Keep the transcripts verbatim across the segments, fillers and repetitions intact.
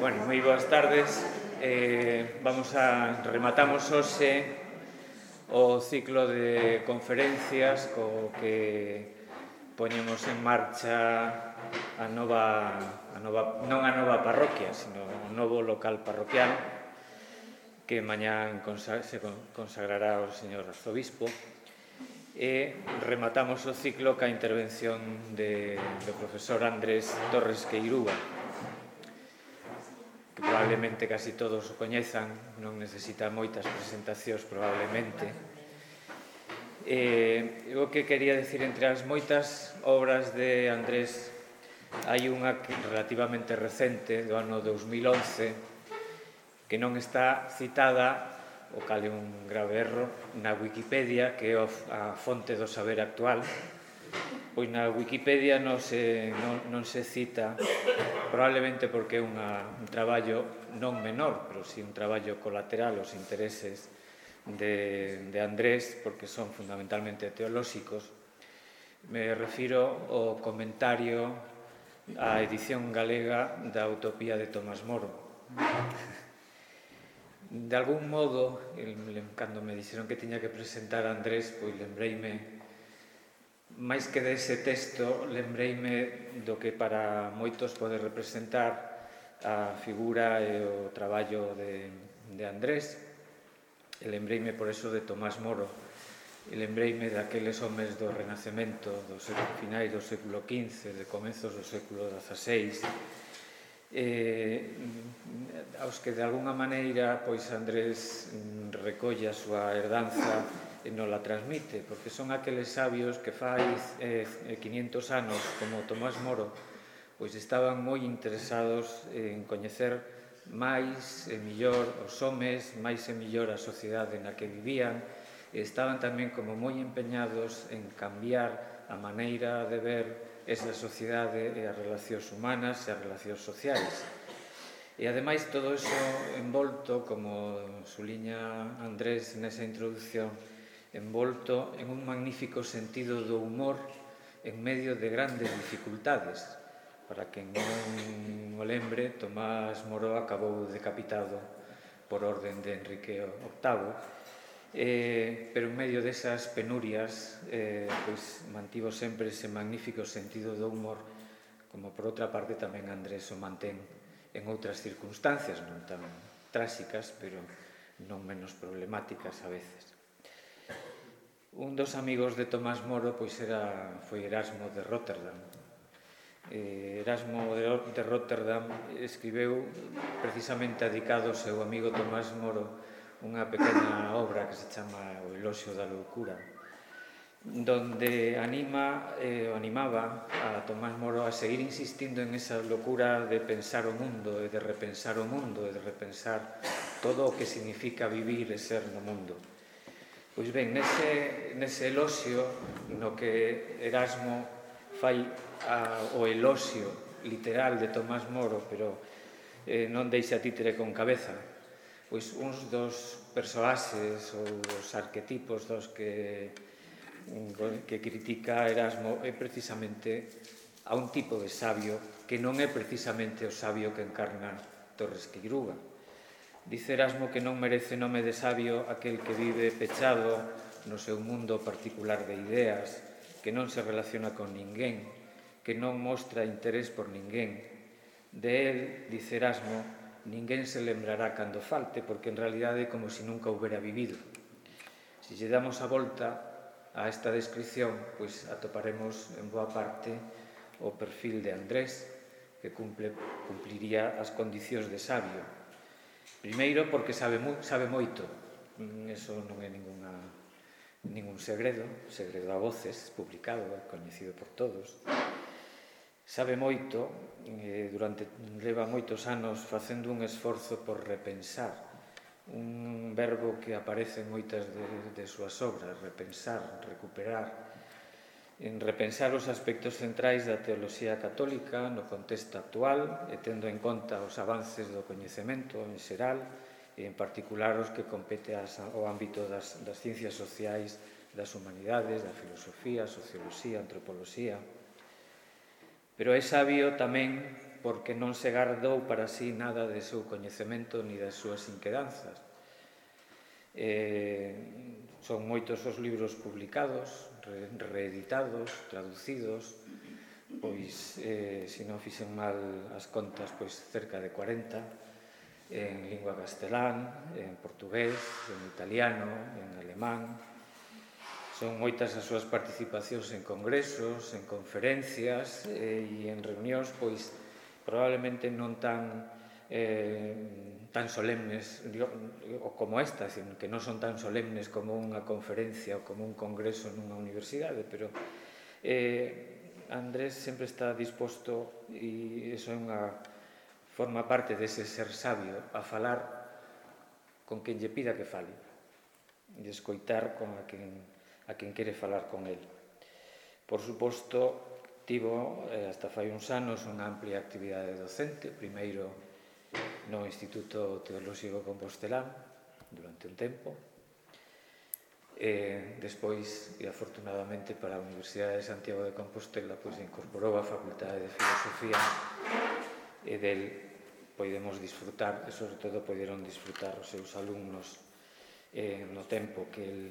Bueno, moi boas tardes. Eh, vamos a rematamos hoxe o ciclo de conferencias co que poñemos en marcha a nova, a nova non a nova parroquia, sino o novo local parroquial que mañán se consagrará ao señor arzobispo. E rematamos o ciclo ca intervención de, do profesor Andrés Torres Queirúa, que probablemente casi todos o coñezan, non necesita moitas presentacións probablemente. Eh, o que quería decir, entre as moitas obras de Andrés, hai unha relativamente recente, do ano dous mil once, que non está citada, o cal é un grave erro, na Wikipedia, que é a fonte do saber actual. Pois na Wikipedia non se, non, non se cita, probablemente porque é unha, un traballo non menor, pero si un traballo colateral aos intereses de, de Andrés, porque son fundamentalmente teolóxicos. Me refiro ao comentario á edición galega da Utopía de Tomás Moro. De algún modo, cando me dixeron que tiña que presentar a Andrés, pois lembreime, máis que dese texto, lembreime do que para moitos pode representar a figura e o traballo de, de Andrés. E lembreime por eso de Tomás Moro, e lembreime daqueles homes do Renacemento, do finais do século quince, de comezos do século dezaseis, eh, aos que de alguna maneira pois Andrés recolle a súa herdanza e non la transmite, porque son aqueles sabios que fai eh, quinientos anos, como Tomás Moro, pois estaban moi interesados en coñecer máis e millor os homes, máis e millor a sociedade na que vivían, e estaban tamén como moi empeñados en cambiar a maneira de ver esa sociedade e as relacións humanas e as relacións sociais. E ademais todo iso envolto, como suliña Andrés nesa introducción, envolto en un magnífico sentido do humor en medio de grandes dificultades. Para quen non o lembre, Tomás Moro acabou decapitado por orden de Enrique octavo, eh, pero en medio desas penurias eh, pois mantivo sempre ese magnífico sentido do humor, como por outra parte tamén Andrés o mantén en outras circunstancias non tan tráxicas, pero non menos problemáticas a veces. Un dos amigos de Tomás Moro pois era, foi Erasmo de Róterdam. Eh, Erasmo de, de Róterdam escribeu, precisamente dedicado ao seu amigo Tomás Moro, unha pequena obra que se chama O Eloxio da Loucura, donde anima, eh, animaba a Tomás Moro a seguir insistindo en esa locura de pensar o mundo e de repensar o mundo e de repensar todo o que significa vivir e ser no mundo. Pois ben, nese, nese eloxio no que Erasmo fai a, o eloxio literal de Tomás Moro, pero eh, non deixa títere con cabeza, pois uns dos persoaxes ou dos arquetipos dos que, que critica Erasmo é precisamente a un tipo de sabio que non é precisamente o sabio que encarna Torres Queirúa. Dice Erasmo que non merece nome de sabio aquel que vive pechado no seu mundo particular de ideas, que non se relaciona con ninguén, que non mostra interés por ninguén. De él, dice Erasmo, ninguén se lembrará cando falte, porque en realidade é como se nunca houbera vivido. Se lle damos a volta a esta descripción, pois atoparemos en boa parte o perfil de Andrés, que cumple, cumpliría as condicións de sabio. Primeiro, porque sabe, mu, sabe moito. Eso non é ninguna, ningún segredo, segredo a voces, publicado, coñecido por todos. Sabe moito, eh, durante leva moitos anos facendo un esforzo por repensar, un verbo que aparece en moitas de, de súas obras, repensar, recuperar, en repensar os aspectos centrais da teoloxía católica no contexto actual e tendo en conta os avances do coñecemento en xeral e en particular os que compete ao ámbito das, das ciencias sociais, das humanidades, da filosofía, socioloxía, antropoloxía. Pero é sabio tamén porque non se gardou para sí nada de seu coñecemento ni das súas inquedanzas. Eh, son moitos os libros publicados, re, reeditados, traducidos, pois, eh, se non fixen mal as contas, pois cerca de cuarenta, en lingua castelán, en portugués, en italiano, en alemán. Son moitas as súas participacións en congresos, en conferencias eh, e en reunións, pois, probablemente non tan, eh, tan solemnes ou como esta, que non son tan solemnes como unha conferencia ou como un congreso nunha universidade, pero eh, Andrés sempre está disposto, e iso é unha forma parte dese ser sabio, a falar con quen lle pida que fale e escoitar con a quen, a quen quere falar con el. Por suposto, tivo eh, hasta fai uns anos unha amplia actividade docente, primeiro no Instituto Teolóxico Compostelán durante un tempo, e despois, e afortunadamente para a Universidade de Santiago de Compostela, pois incorporou a Facultade de Filosofía, e del podemos disfrutar, e sobre todo poderon disfrutar os seus alumnos eh, no tempo que el,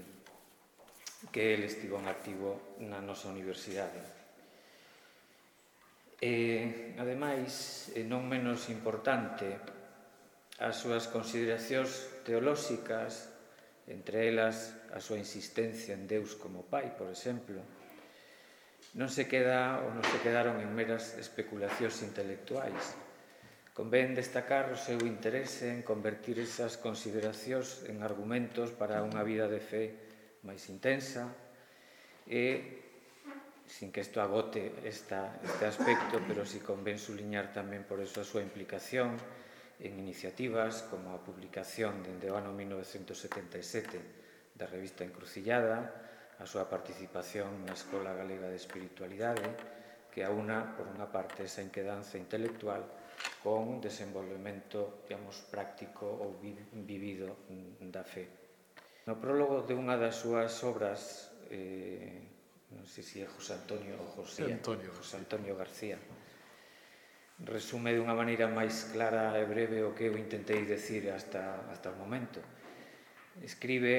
que el estivo en activo na nosa universidade. E, ademais, e non menos importante, as súas consideracións teolóxicas, entre elas a súa insistencia en Deus como Pai, por exemplo, non se queda ou non se quedaron en meras especulacións intelectuais. Convén destacar o seu interese en convertir esas consideracións en argumentos para unha vida de fe máis intensa e, sin que isto agote esta, este aspecto, pero si convén suliñar tamén por eso a súa implicación en iniciativas como a publicación dende o ano mil novecentos setenta e sete da revista Encrucillada, a súa participación na Escola Galega de Espiritualidade, que aúna, por unha parte, esa inquedanza intelectual con desenvolvemento, digamos, práctico ou vivido da fe. No prólogo de unha das súas obras, eh, non sei se é José Antonio ou José Antonio, José Antonio García, resume dunha maneira máis clara e breve o que eu intentei decir hasta, hasta o momento. Escribe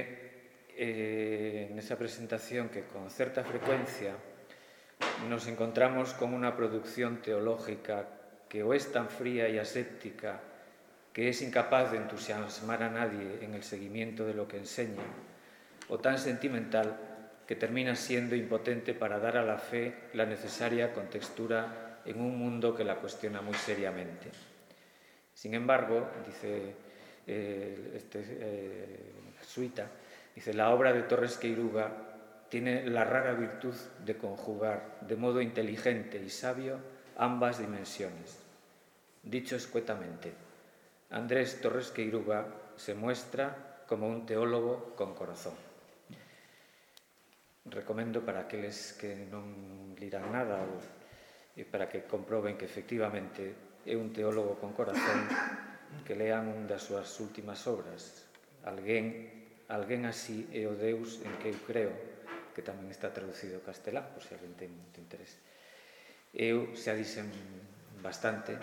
eh, nesa presentación que con certa frecuencia nos encontramos con unha producción teológica que o es tan fría y aséptica que es incapaz de entusiasmar a nadie en el seguimiento de lo que enseña, o tan sentimental que termina siendo impotente para dar a la fe la necesaria contextura en un mundo que la cuestiona muy seriamente. Sin embargo, dice eh, este eh, jesuita, dice, la obra de Torres Queiruga tiene la rara virtud de conjugar de modo inteligente y sabio ambas dimensiones. Dicho escuetamente, Andrés Torres Queiruga se muestra como un teólogo con corazón. Recomendo para aqueles que non liran nada ou, e para que comproben que efectivamente é un teólogo con corazón, que lean un das súas últimas obras, Alguén, alguén así é o Deus en que eu creo, que tamén está traducido ao castelán, por se alguén ten interés. Eu xa dixen bastante,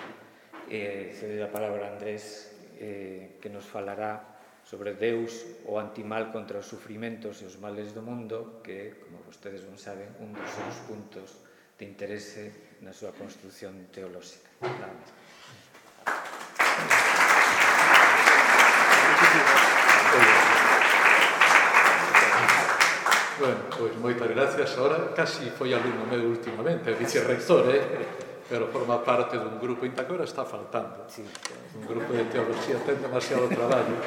e cede a palabra a Andrés, eh, que nos falará sobre Deus, o antimal contra os sufrimentos e os males do mundo, que, como vostedes non saben, un dos seus puntos de interese na súa construción teolóxica. Nada máis. Bueno, pois moitas gracias. Ahora casi foi alumno meu últimamente, vicerrector, eh? Pero forma parte dun grupo, ainda que agora está faltando. Un grupo de teología, ten demasiado traballo,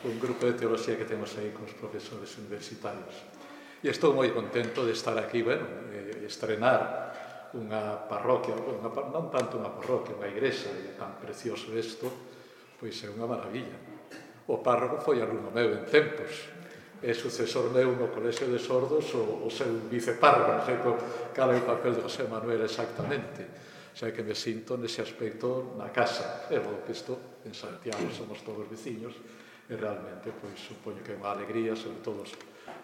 un grupo de teología que temos aí con os profesores universitarios. E estou moi contento de estar aquí, bueno, e estrenar unha parroquia, unha, non tanto unha parroquia, unha igrexa, e tan precioso isto, pois é unha maravilla. O párroco foi alumno meu en tempos, é sucesor meu no Colexio de Sordos o, o seu vicepárroco, non sei cal é o papel de José Manuel exactamente, xa que me sinto nese aspecto na casa, e logo que isto en Santiago somos todos veciños, e realmente pois supoño que é unha alegría, sobre todo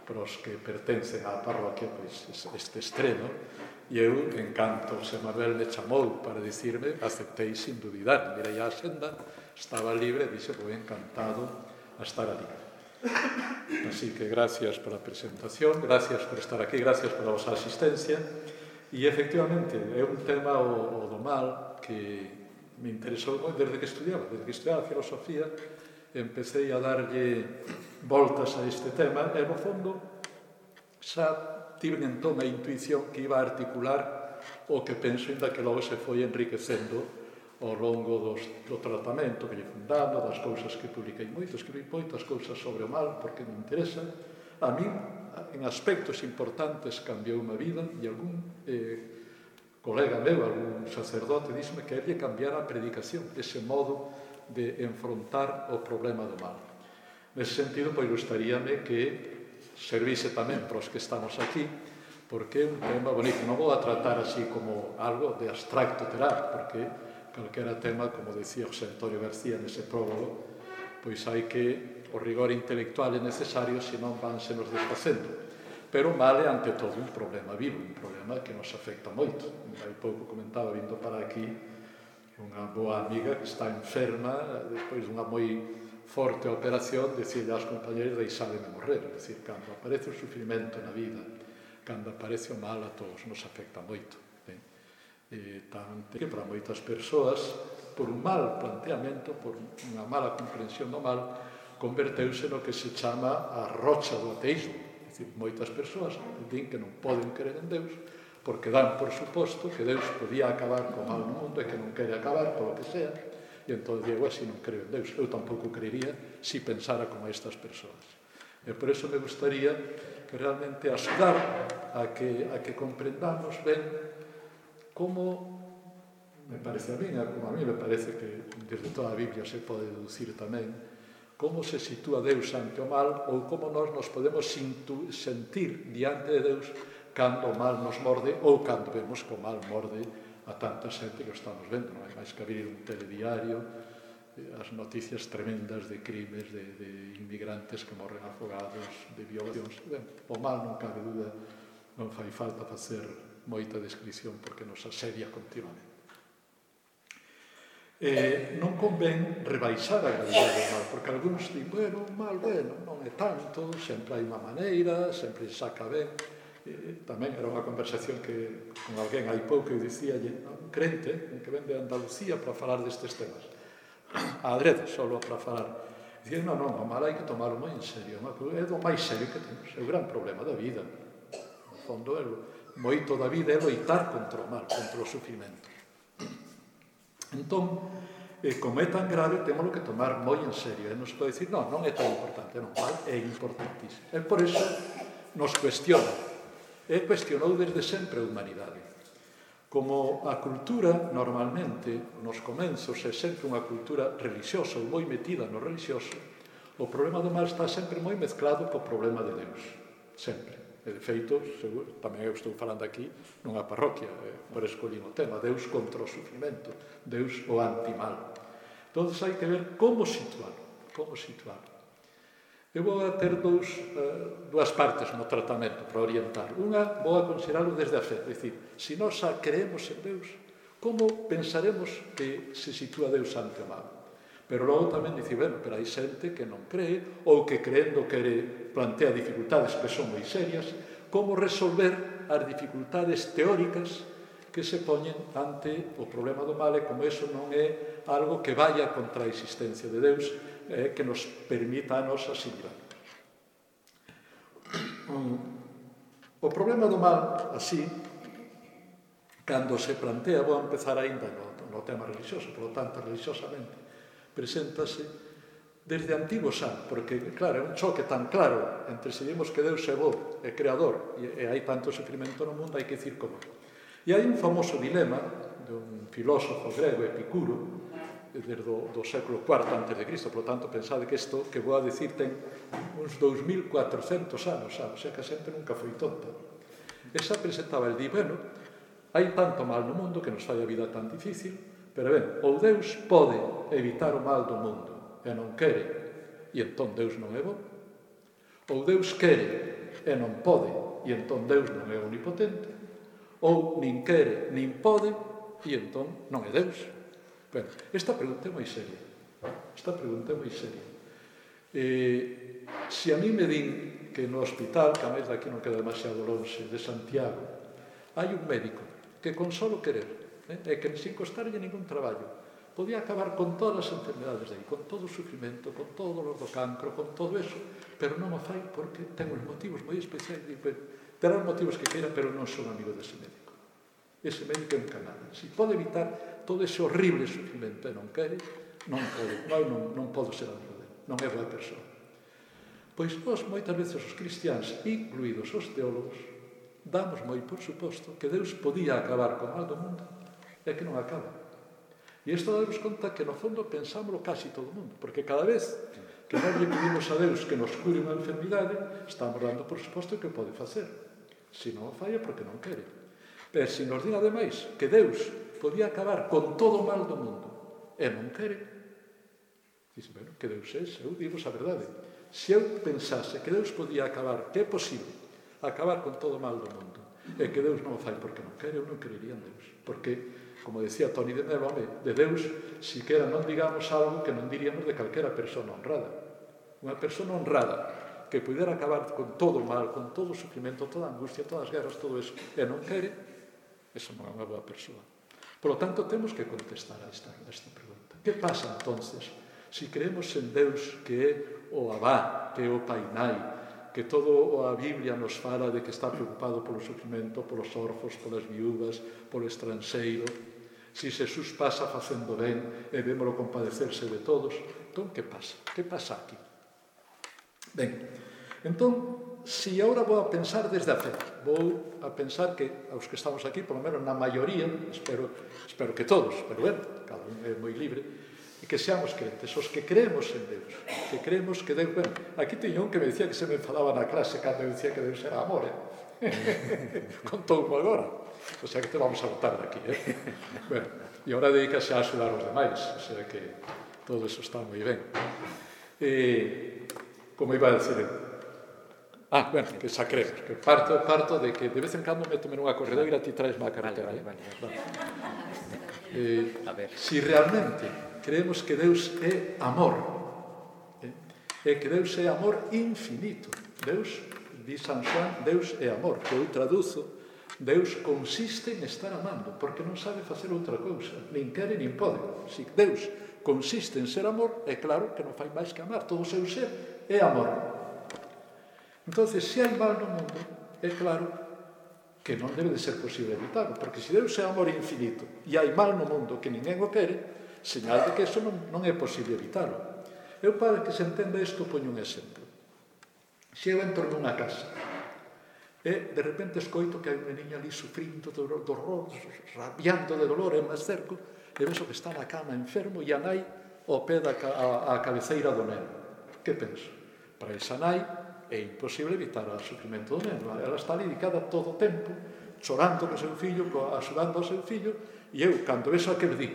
para os que pertencen á parroquia, pois este estreno, E eu, en canto José Manuel me chamou para dicirme, aceptei sin dudar, mirei a xenda, estaba libre, dixe, vou encantado a estar ali. Así que gracias pola presentación, gracias por estar aquí, gracias pola vosa asistencia. E, efectivamente, é un tema, o, o do mal, que me interesou desde que estudiaba, desde que estudiaba filosofía, empecé a darlle voltas a este tema, e, no fondo, xa tive entón a intuición que iba a articular o que penso, ainda que logo se foi enriquecendo ao longo dos, do tratamento que lle fui dando, das cousas que publiquei moito, escribí moitas cousas sobre o mal, porque me interesa. A mí, en aspectos importantes, cambiou unha vida, e algún eh, colega meu, algún sacerdote, díxeme que lle cambiara a predicación, ese modo de enfrontar o problema do mal. Nese sentido, pois, gustaríame que servise tamén para os que estamos aquí, porque é un tema bonito. Non vou a tratar así como algo de abstracto terá, porque calquera tema, como decía José Antonio García nese prólogo, pois hai que o rigor intelectual é necesario, senón vanse nos desfacendo. Pero o mal é, ante todo, un problema vivo, un problema que nos afecta moito. Hai pouco comentaba, vindo para aquí, unha boa amiga que está enferma, despois dunha moi forte operación, decirle aos compañeros, deixádeme morrer. É dicir, cando aparece o sufrimento na vida, cando aparece o mal, a todos nos afecta moito. Eh? E, tanto que para moitas persoas, por un mal planteamento, por unha mala comprensión do mal, converteuse no que se chama a rocha do ateísmo. É dicir, moitas persoas din que non poden creer en Deus, porque dan por suposto que Deus podía acabar co mal no mundo e que non quere acabar, polo que sea. E entón digo, así non creo en Deus. Eu tampouco creería si pensara como estas persoas. E por eso me gustaría que realmente axudar a que, a que comprendamos ben como, me parece a mí, como a mí me parece que desde toda a Biblia se pode deducir tamén, como se sitúa Deus ante o mal, ou como nós nos podemos sentir diante de Deus cando o mal nos morde, ou cando vemos que o mal morde a tanta xente que o estamos vendo. Non hai máis que abrir un telediario, as noticias tremendas de crimes, de, de inmigrantes que morren afogados, de violacións. Ben, o mal, non cabe dúda, non fai falta facer moita descripción porque nos asedia continuamente. Eh, non convén rebaixar a gravidade do mal, porque algúns din, bueno, o mal, bueno, non é tanto, sempre hai unha maneira, sempre saca ben. Eh, tamén era unha conversación que con alguén hai pouco eu dicía un crente un que ven de Andalucía para falar destes temas a adrede, só para falar, dicía, non, non, o mal hai que tomarlo moi en serio, é do máis serio que temos, é o gran problema da vida. No fondo, é moito da vida é loitar contra o mal, contra o sufrimento. Entón, eh, como é tan grave, temos que tomar moi en serio, e nos pode dicir, non, non é tan importante, non, mal é importantísimo. E por eso nos cuestiona. E cuestionou desde sempre a humanidade. Como a cultura, normalmente, nos comenzos, é sempre unha cultura religiosa ou moi metida no religioso, o problema do mal está sempre moi mezclado co problema de Deus. Sempre. E, de feito, seguro, tamén eu estou falando aquí nunha parroquia, eh, por escollir o tema, Deus contra o sufrimento, Deus o antimal. Entón, hai que ver como situarlo, como situarlo. Eu vou a ter dous, uh, dúas partes no tratamento para orientar. Unha, vou a considerarlo desde a fe. É dicir, se nós a creemos en Deus, como pensaremos que se sitúa Deus ante o mal? Pero logo tamén dicir, bueno, pero hai xente que non cree, ou que creendo que plantea dificultades que son moi serias, como resolver as dificultades teóricas que se poñen ante o problema do mal, e como eso non é algo que vaya contra a existencia de Deus, eh, que nos permita a nos asimilar. O problema do mal, así, cando se plantea, vou empezar ainda no, no tema religioso, por lo tanto, religiosamente, preséntase desde antigo xa, porque, claro, é un choque tan claro entre se dimos que Deus é bo, é creador, e, e hai tanto sufrimento no mundo, hai que dicir como. E hai un famoso dilema de un filósofo grego, Epicuro, desde do, do século cuarto antes de Cristo, por lo tanto, pensade que isto que vou a dicir ten uns dous mil cuatrocentos anos, xa, o sea que a xente nunca foi tonta. Esa presentaba el di, bueno, hai tanto mal no mundo que nos fai a vida tan difícil, pero ben, ou Deus pode evitar o mal do mundo e non quere, e entón Deus non é bo, ou Deus quere e non pode, e entón Deus non é omnipotente, ou nin quere, nin pode, e entón non é Deus. Bueno, esta pregunta é moi seria. Esta pregunta é moi seria. Eh, se a mí me din que no hospital, que a vez aquí non queda demasiado longe, de Santiago, hai un médico que con solo querer, eh, e que sin costarlle ningún traballo, podía acabar con todas as enfermedades de aí, con todo o sufrimento, con todo o dolor do cancro, con todo eso, pero non o fai porque ten uns motivos moi especiais. Terá os motivos que queira, pero non son amigo dese médico. Ese médico é un canalla. Se pode evitar todo ese horrible sufrimento e non quere, non pode, non, non, non podo ser amigo dele, non é boa persoa. Pois nós, moitas veces, os cristiáns, incluídos os teólogos, damos moi por suposto que Deus podía acabar con mal do mundo e que non acaba. E isto damos conta que, no fondo, pensámoslo casi todo o mundo, porque cada vez que nós le pedimos a Deus que nos cure unha enfermidade, estamos dando por suposto que pode facer. Se non o falla, porque non quere. Pero se nos din, ademais, que Deus podía acabar con todo o mal do mundo e non quere, dice, bueno, que Deus é, eu digo a verdade. Se eu pensase que Deus podía acabar, que é posible acabar con todo o mal do mundo, e que Deus non o fai porque non quere, eu non creería en Deus. Porque, como decía Toni de Mello, de Deus, siquera non digamos algo que non diríamos de calquera persona honrada. Unha persona honrada que pudera acabar con todo o mal, con todo o sufrimento, toda a angustia, todas as guerras, todo eso, e non quere, esa non é unha boa persoa. Por lo tanto, temos que contestar a esta, a esta pregunta. Que pasa, entonces, se creemos en Deus que é o Abá, que é o Pai Nai, que todo a Biblia nos fala de que está preocupado polo sufrimento, polos orfos, polas viúvas, polo estranxeiro, se Xesús pasa facendo ben e vémolo compadecerse de todos, entón, que pasa? Que pasa aquí? Ben, entón, se agora vou a pensar desde a fe, vou a pensar que aos que estamos aquí, polo menos na maioría, espero, espero que todos, pero bueno, cada un é moi libre, e que seamos crentes, os que creemos en Deus, que creemos que Deus... Bueno, aquí teño un que me dicía que se me enfadaba na clase cando eu dicía que Deus era amor, eh? Contoumo agora, o sea que te vamos a botar daqui, eh? Bueno, e agora dedícase a axudar os demais, o sea que todo eso está moi ben. E, como iba a decir... Ah, bueno, que xa creemos, que parto, parto de que de vez en cando métome nunha corredoira e ti traes má carretera. Vale, vale, vale. Eh, a ver. Si realmente creemos que Deus é amor, eh, e que Deus é amor infinito, Deus, di San Xoán, Deus é amor, que eu traduzo, Deus consiste en estar amando, porque non sabe facer outra cousa, nin quere nin pode. Si Deus consiste en ser amor, é claro que non fai máis que amar, todo o seu ser é amor. Entonces, se hai mal no mundo, é claro que non debe de ser posible evitarlo, porque se Deus é amor infinito e hai mal no mundo que ninguén o quere, señal de que eso non, non é posible evitarlo. Eu, para que se entenda isto, poño un exemplo. Se eu entro nunha casa e de repente escoito que hai unha niña ali sufrindo do horror, rabiando de dolor, e me acerco e vexo que está na cama enfermo e a nai ao pé da a, a cabeceira do neno. Que penso? Para esa nai é imposible evitar o sufrimento do neno. Ela está ali dedicada todo o tempo, chorando co seu fillo, axudando ao seu fillo, e eu, cando vexo aquel di,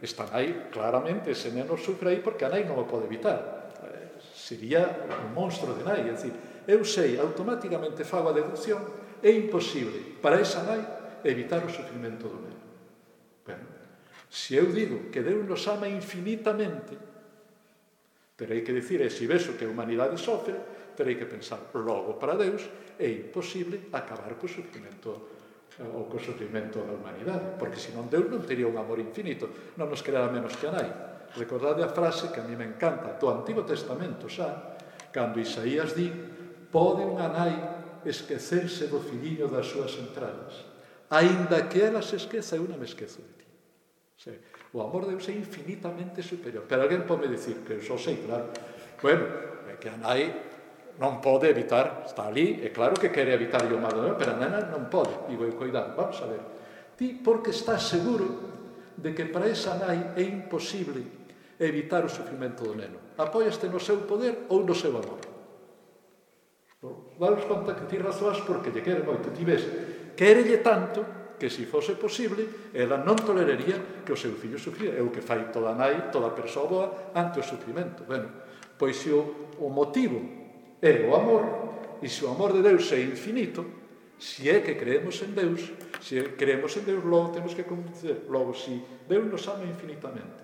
está nai, claramente, ese neno sufre aí porque a nai non o pode evitar. Eh, sería un monstro de nai. É dicir, eu sei, automáticamente fago a deducción, é imposible para esa nai evitar o sufrimento do neno. Bueno, se eu digo que Deus nos ama infinitamente, terei que dicir, e se vexo que a humanidade sofre, terei que pensar, logo para Deus é imposible acabar co sufrimento ou co sufrimento da humanidade, porque senón Deus non teria un amor infinito, non nos querera menos que a nai. Recordade a frase que a mí me encanta do Antigo Testamento xa, cando Isaías di, pode unha nai esquecerse do filliño das súas entrañas, aínda que ela se esqueza, eu non me esquezo de ti. O amor de Deus é infinitamente superior, pero alguén pode dicir, que eu só sei, claro, bueno, é que a nai non pode evitar, está ali, é claro que quere evitar o mal do neno, pero a nena non pode. Digo, cuidado, vamos a ver. Ti, porque estás seguro de que para esa nai é imposible evitar o sufrimento do neno? Apóiaste no seu poder ou no seu amor? Vamos conta que ti razoas porque lle quere moito. Ti ves, querelle tanto que se fose posible, ela non toleraría que o seu fillo sufriera. É o que fai toda nai, toda persoa boa ante o sufrimento. Bueno, pois se o, o motivo é o amor, e se o amor de Deus é infinito, Si é que creemos en Deus, se creemos en Deus, logo temos que convencer. Logo, si Deus nos ama infinitamente,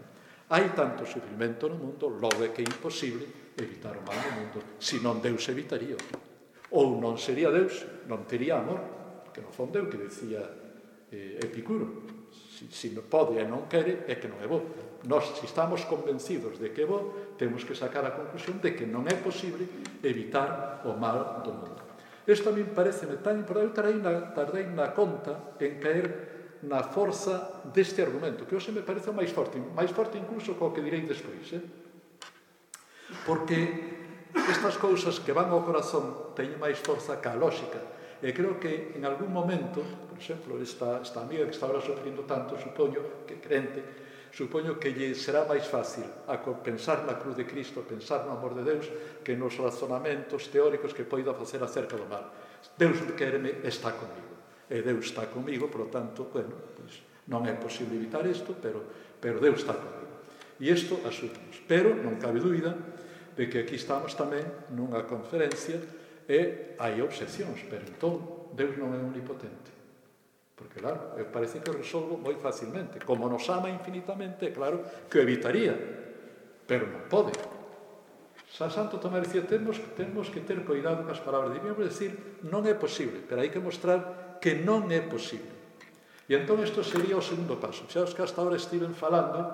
hai tanto sufrimento no mundo, logo é que é imposible evitar o mal no mundo. Se non Deus evitaría. Ou non sería Deus, non tería amor. Que no fondo é o que decía eh, Epicuro. Si, si non pode e non quere, é que non é bo. Nós, se estamos convencidos de que é bo, temos que sacar a conclusión de que non é posible evitar o mal do mundo. Isto a mí pareceme tan importante. Eu tardei na, tardei na conta en caer na forza deste argumento, que hoxe me parece o máis forte, máis forte incluso co que direi despois. Eh? Porque estas cousas que van ao corazón teñen máis forza que a lógica. E creo que en algún momento, por exemplo, esta, esta amiga que está ahora sofrindo tanto, supoño que crente, supoño que lle será máis fácil a pensar na cruz de Cristo, pensar no amor de Deus, que nos razonamentos teóricos que poida facer acerca do mal. Deus quéreme, está comigo. E Deus está comigo, por lo tanto, bueno, pues, non é posible evitar isto, pero, pero Deus está comigo. E isto asumimos. Pero non cabe dúbida de que aquí estamos tamén nunha conferencia e hai obsesións, pero entón Deus non é omnipotente. Porque, claro, parece que o resolvo moi facilmente. Como nos ama infinitamente, claro, que o evitaría, pero non pode. San Santo Tomás dicía, temos, temos que ter cuidado cas palabras. Debíamos decir, non é posible, pero hai que mostrar que non é posible. E entón isto sería o segundo paso. Xa os que hasta ahora estiven falando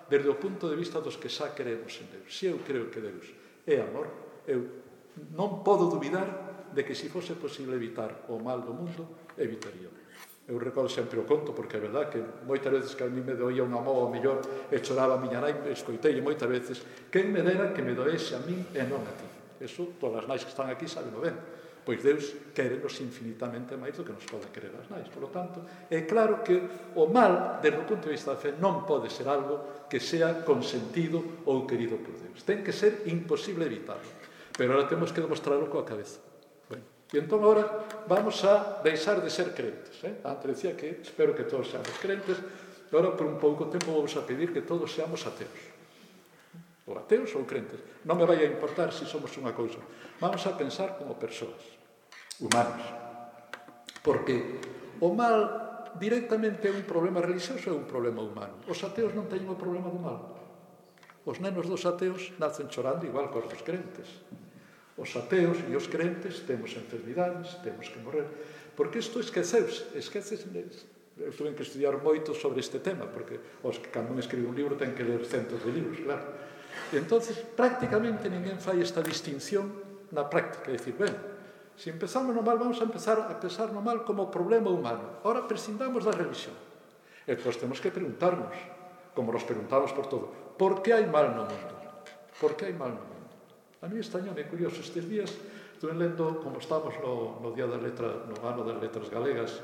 desde o punto de vista dos que xa queremos en Deus. Se eu creo que Deus é amor, eu non podo dubidar de que se fose posible evitar o mal do mundo, evitaría. Eu recordo sempre o conto, porque é verdad que moitas veces que a mí me doía unha mova ao millor e choraba a miña nai, escoitei moitas veces, quen me dera que me doese a min e non a ti. Eso, todas as nais que están aquí saben o ben. Pois Deus quérenos infinitamente máis do que nos pode querer as nais. Por lo tanto, é claro que o mal, desde o punto de vista da fe, non pode ser algo que sea consentido ou querido por Deus. Ten que ser imposible evitarlo. Pero ahora temos que demostrarlo coa cabeza. Bueno, e entón agora vamos a deixar de ser crentes. Eh? Antes decía que espero que todos seamos crentes, e agora por un pouco tempo vamos a pedir que todos seamos ateos. Ou ateos ou crentes. Non me vai a importar se somos unha cousa. Vamos a pensar como persoas humanos. Porque o mal directamente é un problema religioso ou é un problema humano. Os ateos non teñen o problema do mal. Os nenos dos ateos nacen chorando igual que os dos crentes. Os ateos e os crentes temos enfermidades, temos que morrer. Porque isto esqueceuse. Esqueces, eu tuve que estudiar moito sobre este tema, porque os que cando me escribe un libro ten que ler centos de libros, claro. E entonces, prácticamente ninguén fai esta distinción na práctica. É dicir, ben, se empezamos no mal, vamos a empezar a pensar no mal como problema humano. Ahora prescindamos da religión. E entón temos que preguntarnos, como nos preguntamos por todo, por que hai mal no mundo? Por que hai mal no mundo? A mí estañame curioso estes días, estuve lendo, como estamos no, no día da letra, no ano das letras galegas,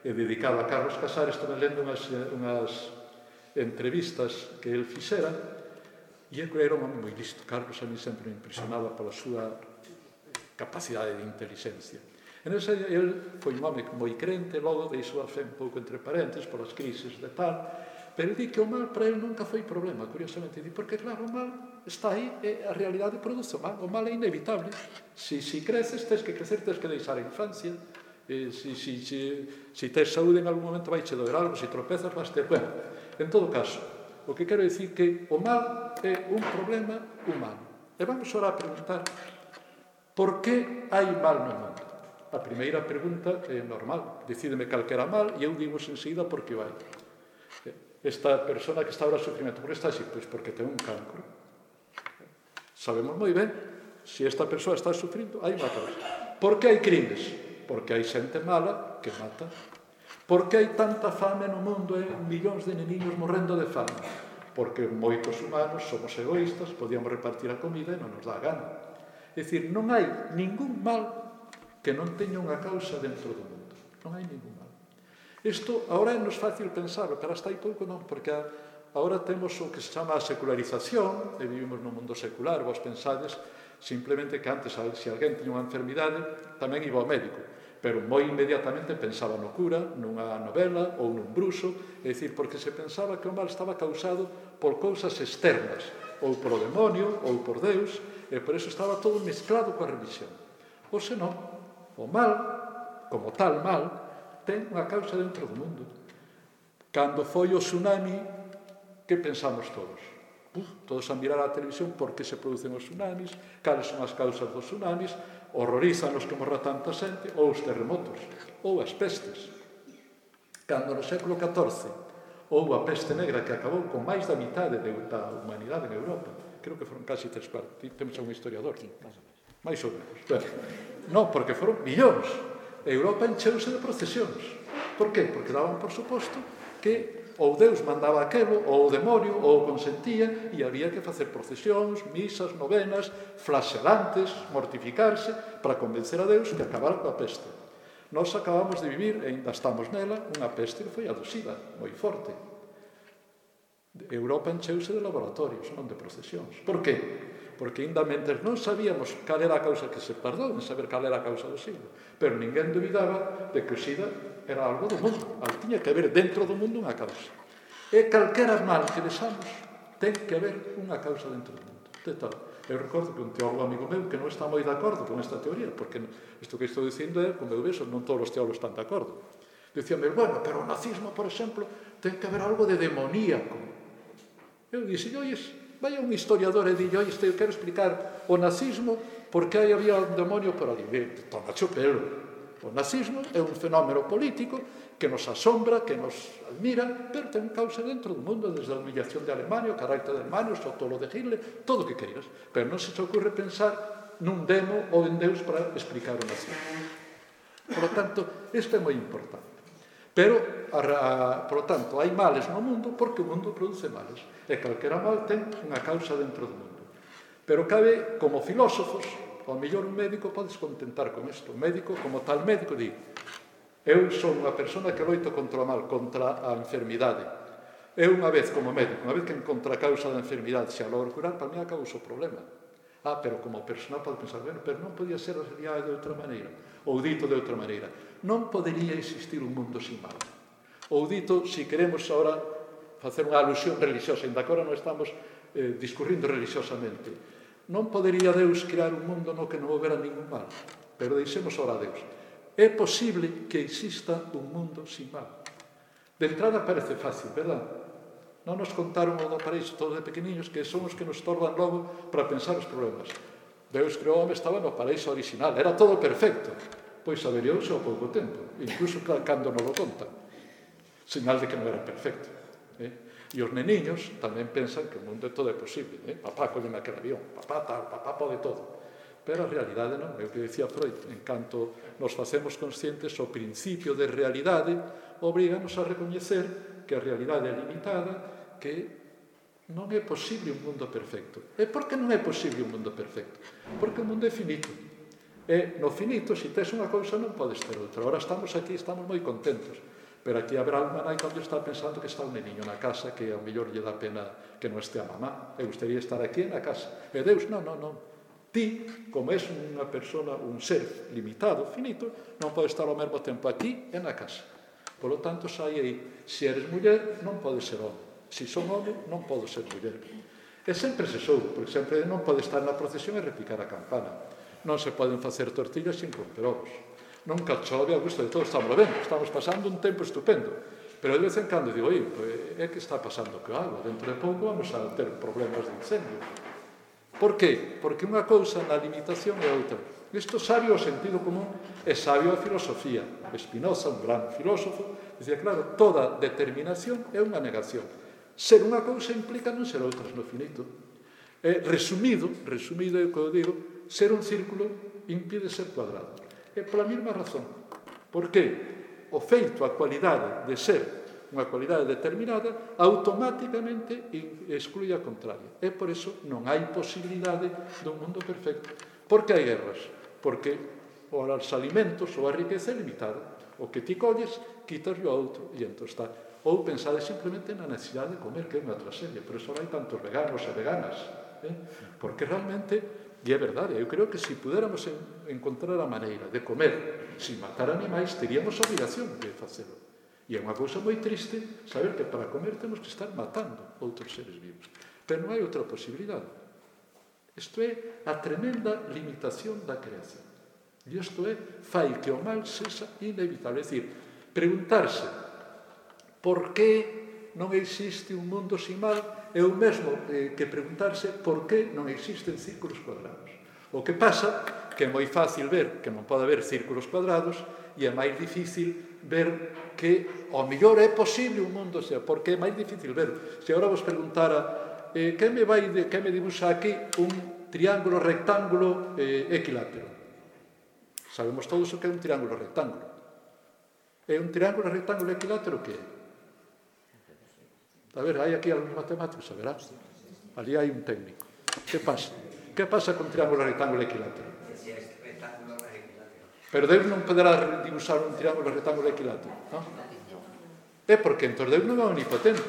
e dedicado a Carlos Casares, estuve lendo unhas, unhas entrevistas que el fixera, e era un home moi listo. Carlos a mí sempre me impresionaba pola súa capacidade de inteligencia. En ese, el foi un home moi crente, logo deixou a fe un pouco entre parentes polas crises de tal, pero di que o mal para ele nunca foi problema, curiosamente, di, porque claro, o mal está aí e a realidade produce o mal, o mal é inevitable. Si, si creces, tens que crecer, tens que deixar a infancia, e si, si, si, si tens saúde en algún momento vai che doer algo, si tropezas vas ter... Bueno, en todo caso, o que quero dicir que o mal é un problema humano. E vamos ahora a preguntar por que hai mal no mundo? A primeira pregunta é normal, decídeme calquera mal e eu digo enseguida por que vai. Esta persona que está ahora sufrimento, por que está así? Pois porque ten un cancro. Sabemos moi ben, se esta persoa está sufrindo, hai unha causa. Por que hai crimes? Porque hai xente mala que mata. Por que hai tanta fame no mundo e millóns de neniños morrendo de fame? Porque moitos humanos somos egoístas, podíamos repartir a comida e non nos dá gana. É dicir, non hai ningún mal que non teña unha causa dentro do mundo. Non hai ningún mal. Isto agora é nos fácil pensarlo, pero hasta aí pouco non, porque agora temos o que se chama a secularización, e vivimos no mundo secular, vos pensades simplemente que antes, se alguén tiña unha enfermidade, tamén iba ao médico, pero moi inmediatamente pensaba no cura, nunha novela ou nun bruxo, é dicir, porque se pensaba que o mal estaba causado por cousas externas, ou por o demonio, ou por Deus, e por eso estaba todo mezclado coa religión. Ou senón, o mal como tal mal, ten unha causa dentro do mundo. Cando foi o tsunami, que pensamos todos? Uf, todos a mirar a televisión por que se producen os tsunamis, cales son as causas dos tsunamis, horrorízanos que morra tanta xente, ou os terremotos, ou as pestes. Cando no século catorce houve a peste negra que acabou con máis da mitade da humanidade en Europa, creo que foron casi tres partes, temos un historiador, máis ou menos. Bueno, non, porque foron millóns. Europa encheuse de procesións. Por qué? Porque daban por suposto que ou Deus mandaba aquelo, ou o demonio, ou o consentía, e había que facer procesións, misas, novenas, flagelantes, mortificarse, para convencer a Deus que acabara coa peste. Nós acabamos de vivir, e ainda estamos nela, unha peste que foi a do SIDA, moi forte. Europa encheuse de laboratorios, non de procesións. Por qué? Porque ainda mentres non sabíamos cal era a causa que se tardou en saber cal era a causa do SIDA, pero ninguén dubidaba de que o SIDA era algo do mundo, tiña que haber dentro do mundo unha causa. E calquera mal que vexamos, ten que haber unha causa dentro do mundo. De tal. Eu recordo que un teólogo amigo meu que non está moi de acordo con esta teoría, porque isto que estou dicindo é, como eu vexo, non todos os teólogos están de acordo. Dicíame, bueno, pero o nazismo, por exemplo, ten que haber algo de demoníaco. Eu dixo, ois, vai a un historiador e dille, ois, eu quero explicar o nazismo porque aí había un demonio por ali. Tómacho pelo. O nazismo é un fenómeno político que nos asombra, que nos admira, pero ten causa dentro do mundo, desde a humillación de Alemania, o carácter de Alemania, o sotolo de Hitler, todo o que queiras. Pero non se te ocurre pensar nun demo ou en Deus para explicar o nazismo. Por lo tanto, isto é moi importante. Pero, a, a, por lo tanto, hai males no mundo porque o mundo produce males. E calquera mal ten unha causa dentro do mundo. Pero cabe, como filósofos, ao mellor un médico podes contentar con isto. Un médico, como tal médico, di, eu son unha persona que loito contra o mal, contra a enfermidade. Eu unha vez, como médico, unha vez que encontra a causa da enfermidade, se a logro curar, para mí acabou o problema. Ah, pero como persona pode pensar, bueno, pero non podía ser a realidade de outra maneira. Ou dito de outra maneira, non podería existir un mundo sin mal. Ou dito, se queremos agora facer unha alusión religiosa, ainda agora non estamos eh, discurrindo religiosamente, non podería Deus crear un mundo no que non houbera ningún mal. Pero deixemos ora a Deus. É posible que exista un mundo sin mal. De entrada parece fácil, verdad? Non nos contaron o do paraíso todos de pequeniños que son os que nos torban logo para pensar os problemas. Deus creou o home, estaba no paraíso original, era todo perfecto. Pois averiouse ao pouco tempo, incluso cando non lo contan. Señal de que non era perfecto. Eh? E os neniños tamén pensan que o mundo é todo é posible. Eh? Papá colleme aquel avión, papá tal, papá pode todo. Pero a realidade non, é o que dicía Freud, en canto nos facemos conscientes, o principio de realidade obriganos a recoñecer que a realidade é limitada, que non é posible un mundo perfecto. E por que non é posible un mundo perfecto? Porque o mundo é finito. E no finito, se tes unha cousa, non podes ter outra. Ahora estamos aquí, estamos moi contentos. Pero aquí habrá alma nai cando está pensando que está un neniño na casa, que ao mellor lle dá pena que non este a mamá. Eu gustaría estar aquí na casa. E Deus, non, non, non. Ti, como és unha persona, un ser limitado, finito, non pode estar ao mesmo tempo aquí e na casa. Por lo tanto, sai aí, se eres muller, non podes ser home. Se son home, non podo ser muller. E sempre se soubo, porque sempre non pode estar na procesión e repicar a campana. Non se poden facer tortillas sin romper ovos. Nunca chove a gusto de todos, estamos vendo, estamos pasando un tempo estupendo. Pero de vez en cando digo, oi, pues, é que está pasando que algo, dentro de pouco vamos a ter problemas de incendio. Por qué? Porque unha cousa na limitación é outra. Isto sabio o sentido común é sabio a filosofía. Spinoza, un gran filósofo, dicía, claro, toda determinación é unha negación. Ser unha cousa implica non ser outras no finito. Eh, resumido, resumido é o que eu digo, ser un círculo impide ser cuadrado. É pola mesma razón. Por qué? O feito, a cualidade de ser unha cualidade determinada, automáticamente exclui a contraria. E por iso non hai posibilidade dun mundo perfecto. Por que hai guerras? Porque os alimentos ou a riqueza é limitada. O que ti colles, quitas o outro, e entón está. Ou pensade simplemente na necesidade de comer, que é unha tragedia. Por iso hai tantos veganos e veganas. Eh? Porque realmente... E é verdade, eu creo que se pudéramos encontrar a maneira de comer sin matar animais, teríamos a obrigación de facelo. E é unha cousa moi triste saber que para comer temos que estar matando outros seres vivos. Pero non hai outra posibilidade. Isto é a tremenda limitación da creación. E isto é, fai que o mal sexa inevitable. É dicir, preguntarse por que non existe un mundo sin mal é o mesmo que preguntarse por que non existen círculos cuadrados. O que pasa que é moi fácil ver que non pode haber círculos cuadrados e é máis difícil ver que ao mellor é posible un mundo xa, porque é máis difícil ver. Se agora vos preguntara eh, que me vai de, que me dibuxa aquí un triángulo rectángulo eh, equilátero. Sabemos todos o que é un triángulo rectángulo. É un triángulo rectángulo equilátero que é? A ver, hai aquí algúns matemáticos, a verá? Ali hai un técnico. Que pasa? Que pasa con triángulo rectángulo equilátero? Pero Deus non poderá dibuixar un triángulo rectángulo equilátero, non? É porque entón Deus non é omnipotente.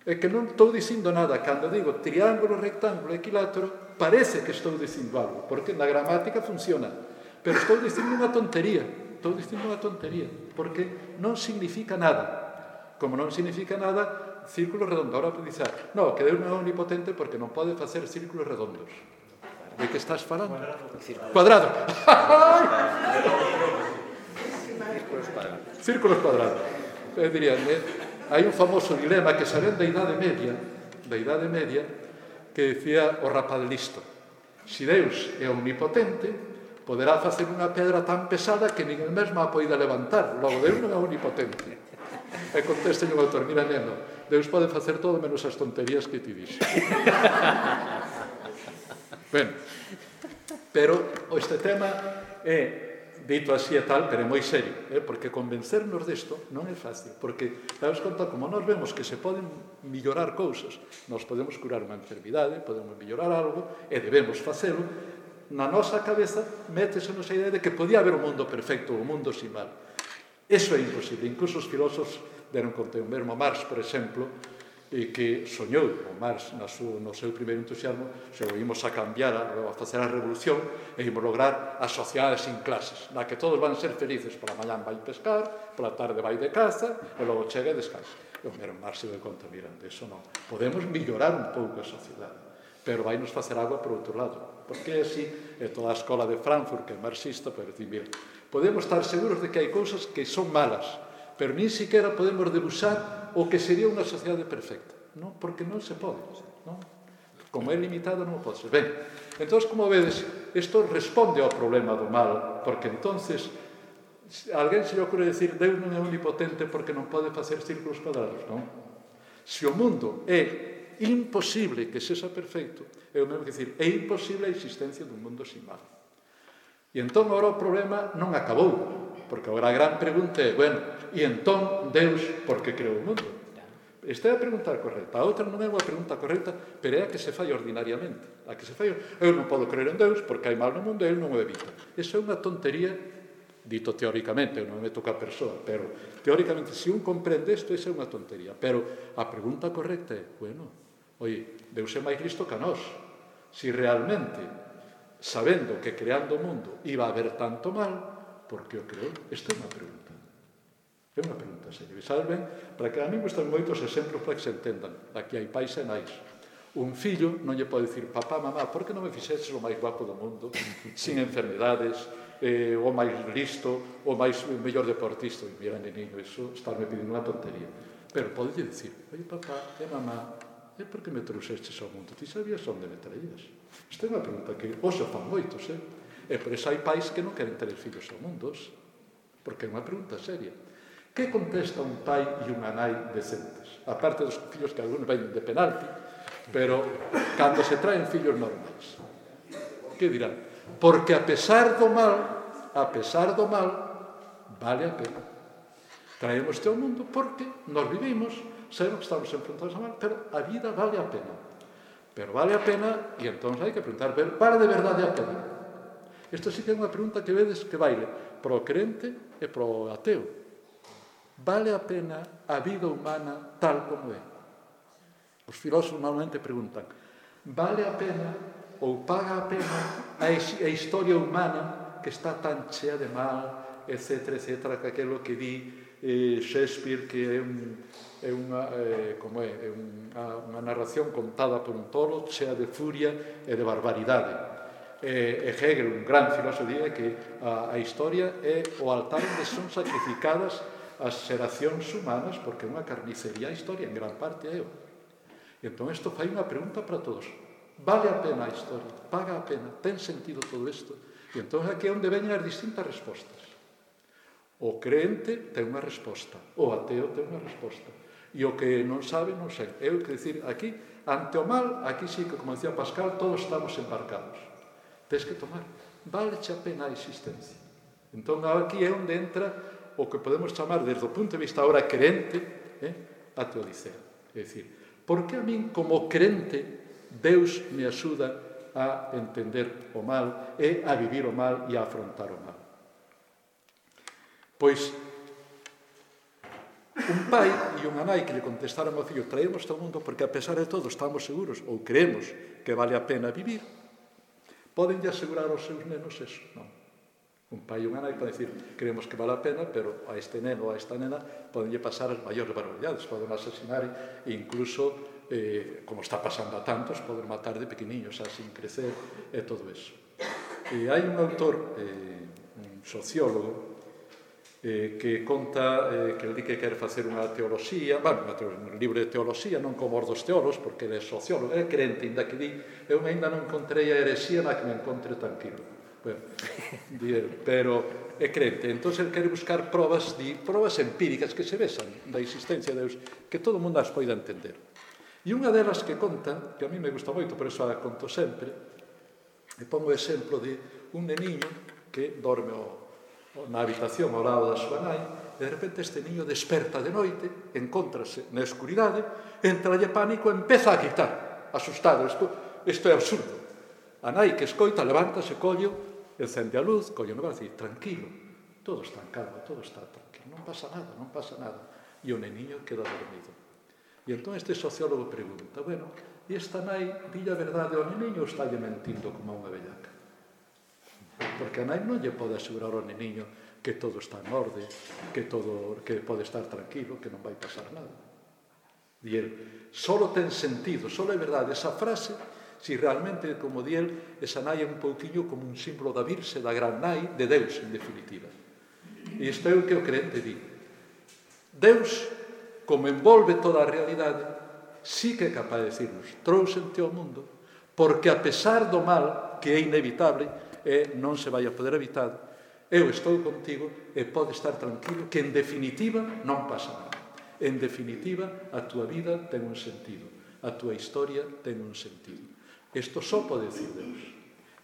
É que non estou dicindo nada. Cando digo triángulo rectángulo equilátero, parece que estou dicindo algo, porque na gramática funciona. Pero estou dicindo unha tontería. Estou dicindo unha tontería, porque non significa nada. Como non significa nada, círculo redondo. Ahora pode dizer, no, que Deus non é omnipotente porque non pode facer círculos redondos. De que estás falando? Cuadrado. Círculos cuadrados. Círculos cuadrados. Eu diría, eh, hai un famoso dilema que saben da Idade Media, da Idade Media, que decía o rapaz listo. Si Deus é omnipotente, poderá facer unha pedra tan pesada que nin el mesmo a poida levantar. Logo, Deus non é omnipotente. E conteste un autor, mira, neno, Deus pode facer todo menos as tonterías que ti dixo. Ben, pero este tema é, dito así e tal, pero é moi serio, eh? Porque convencernos desto non é fácil, porque, sabes conta, como nós vemos que se poden mellorar cousas, nós podemos curar unha enfermidade, podemos mellorar algo, e debemos facelo, na nosa cabeza métese nosa idea de que podía haber un mundo perfecto, un mundo sin mal. Eso é imposible. Incluso os filósofos deron conta, o mesmo Marx, por exemplo, e que soñou o Marx no seu, no seu primeiro entusiasmo, se o imos a cambiar, a, a facer a revolución, e imos lograr a sociedade sin clases, na que todos van ser felices. Pola mañán vai pescar, pola tarde vai de caza, e logo chega e descansa. E o mesmo Marx se deu conta, miran, de eso non. Podemos mellorar un pouco a sociedade, pero vai nos facer agua por outro lado. Porque é así, é toda a escola de Frankfurt, que é marxista, pero decir, mira, podemos estar seguros de que hai cousas que son malas, pero nin siquiera podemos debuxar o que sería unha sociedade perfecta, non? Porque non se pode, non? Como é limitado, non pode ser. Ben, entón, como vedes, isto responde ao problema do mal, porque entonces alguén se lle ocurre decir Deus non é omnipotente porque non pode facer círculos cuadrados, non? Se o mundo é imposible que sexa perfecto, é o mesmo que dicir, é imposible a existencia dun mundo sin mal. E entón, agora o problema non acabou, porque agora a gran pregunta é, bueno, e entón, Deus, por que creou o mundo? Esta é a pregunta correcta. A outra non é unha pregunta correcta, pero é a que se fai ordinariamente. A que se fai, eu non podo creer en Deus porque hai mal no mundo e ele non o evita. Esa é unha tontería, dito teóricamente, eu non me toca a persoa, pero teóricamente, se un comprende isto, esa é unha tontería. Pero a pregunta correcta é, bueno, oye, Deus é máis listo que a nós. Si realmente, sabendo que creando o mundo iba a haber tanto mal, por que o creou? Esta é unha pregunta. É unha pregunta seria. E sabes ben, para que a mí gustan moitos exemplos para que se entendan. Aquí hai pais e nais. Un fillo non lle pode dicir, papá, mamá, por que non me fixeches o máis guapo do mundo, sin enfermedades, eh, o máis listo, o máis o mellor deportista? E mira, neniño, iso estarme pedindo unha tontería. Pero pode dicir, oye, papá e mamá, e por que me trouxestes ao mundo? Ti sabías onde me traías? Esta é unha pregunta que hoxe fan moitos, eh? E por iso hai pais que non queren ter fillos ao mundo, porque é unha pregunta seria. Que contesta un pai e unha nai decentes? A parte dos fillos que algunos ven de penalti, pero cando se traen fillos normais. Que dirán? Porque a pesar do mal, a pesar do mal, vale a pena. Traemos ao mundo porque nos vivimos, sabemos que estamos enfrentados a mal, pero a vida vale a pena. Pero vale a pena, e entón hai que preguntar, vale de verdade a pena? Esta sí que é unha pregunta que vedes que baile pro crente e pro ateo. Vale a pena a vida humana tal como é? Os filósofos normalmente preguntan, vale a pena ou paga a pena a historia humana que está tan chea de mal, etcétera, etcétera, que aquilo que di eh, Shakespeare, que é, un, é, unha, eh, como é, é unha, unha narración contada por un tolo chea de furia e de barbaridade. E, e Hegel, un gran filósofo, dice que a, a historia é o altar onde son sacrificadas as xeracións humanas, porque é unha carnicería a historia, en gran parte é o. E entón isto fai unha pregunta para todos. Vale a pena a historia? Paga a pena? Ten sentido todo isto? E entón aquí é onde veñen as distintas respostas. O creente ten unha resposta, o ateo ten unha resposta, e o que non sabe, non sei. Eu que dicir, aquí, ante o mal, aquí sí que, como decía Pascal, todos estamos embarcados. Tens que tomar. Vale-che a pena a existencia. Entón, aquí é onde entra o que podemos chamar, desde o punto de vista ahora creente, eh, a teodicea. É dicir, por que a min, como creente, Deus me axuda a entender o mal e a vivir o mal e a afrontar o mal? Pois, un pai e unha nai que lle contestaron ao fillo, traemos ao mundo porque a pesar de todo estamos seguros ou creemos que vale a pena vivir, poden lle asegurar aos seus nenos eso? Non. Un pai e unha nai poden dicir, creemos que vale a pena, pero a este neno ou a esta nena poden lle pasar as maiores barbaridades, poden asesinar e incluso, eh, como está pasando a tantos, poden matar de pequeniños, sin crecer e todo eso. E hai un autor, eh, un sociólogo, Eh, que conta eh, que el di que quer facer unha teoloxía, bueno, un libro de teoloxía, non como os dos teólogos, porque ele é sociólogo, é crente, ainda que di, eu ainda non encontrei a herexía na que me encontre tranquilo. Bueno, di el, pero é crente. Entón, ele quere buscar probas, di, probas empíricas que se vexan da existencia de Deus, que todo mundo as poida entender. E unha delas que conta, que a mí me gusta moito, por eso a conto sempre, e pongo o exemplo de un neniño que dorme o na habitación ao lado da súa nai, e de repente este niño desperta de noite, encóntrase na escuridade, entralle pánico e empeza a gritar, asustado. Isto, isto é absurdo. A nai que escoita, levántase, collo, encende a luz, collo no brazo e dice, tranquilo, todo está en calma, todo está tranquilo, non pasa nada, non pasa nada. E o neniño queda dormido. E entón este sociólogo pregunta, bueno, e esta nai dille a verdade ao neniño ou está lle mentindo como a unha bellaca? Porque a nai non lle pode asegurar ao neniño que todo está en orde, que todo que pode estar tranquilo, que non vai pasar nada. E el, solo ten sentido, solo é verdade esa frase, si realmente, como di el, esa nai é un pouquiño como un símbolo da Virxe, da gran nai, de Deus, en definitiva. E isto é o que o crente di. Deus, como envolve toda a realidade, sí que é capaz de decirnos, trouxente ao mundo, porque a pesar do mal, que é inevitable, e non se vai a poder evitar, eu estou contigo e pode estar tranquilo que en definitiva non pasa nada. En definitiva, a túa vida ten un sentido, a túa historia ten un sentido. Isto só pode decir Deus.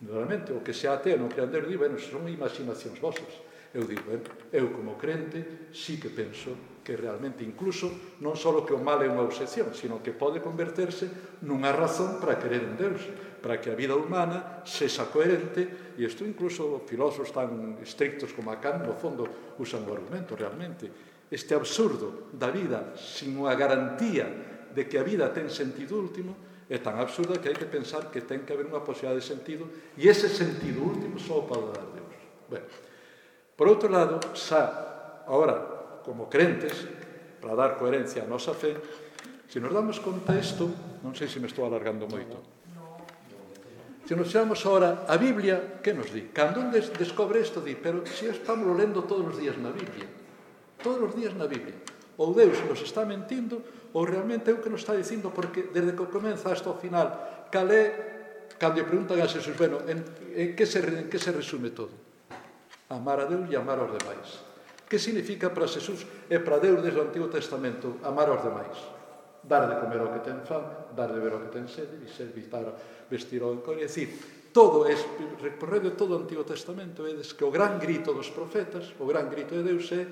Normalmente, o que se ateo non crean Deus, digo, bueno, son imaginacións vosas. Eu digo, bueno, eu como crente sí que penso que realmente incluso non só que o mal é unha obsesión, sino que pode converterse nunha razón para querer en Deus, para que a vida humana sexa coherente, e isto incluso filósofos tan estrictos como a Kant, no fondo, usan o argumento realmente. Este absurdo da vida sin unha garantía de que a vida ten sentido último é tan absurda que hai que pensar que ten que haber unha posibilidade de sentido, e ese sentido último só pode dar Deus. Bueno, por outro lado, xa, agora, como crentes, para dar coherencia á nosa fe, se nos damos conta isto, non sei se me estou alargando moito, se nos xamos agora a Biblia, que nos di? Cando un des descobre isto, di, pero se estamos lendo todos os días na Biblia, todos os días na Biblia, ou Deus nos está mentindo, ou realmente é o que nos está dicindo, porque desde que comeza hasta o final, cal é, cando lle preguntan a Jesús, bueno, en, en, que se, en que se resume todo? Amar a Deus e amar aos demais. Que significa para Jesús e para Deus desde o Antigo Testamento amar aos demais? Dar de comer ao que ten fame, dar de ver ao que ten sede, e servitar, vestir ao encono. É dicir, todo é, recorrendo todo o Antigo Testamento, é que o gran grito dos profetas, o gran grito de Deus é,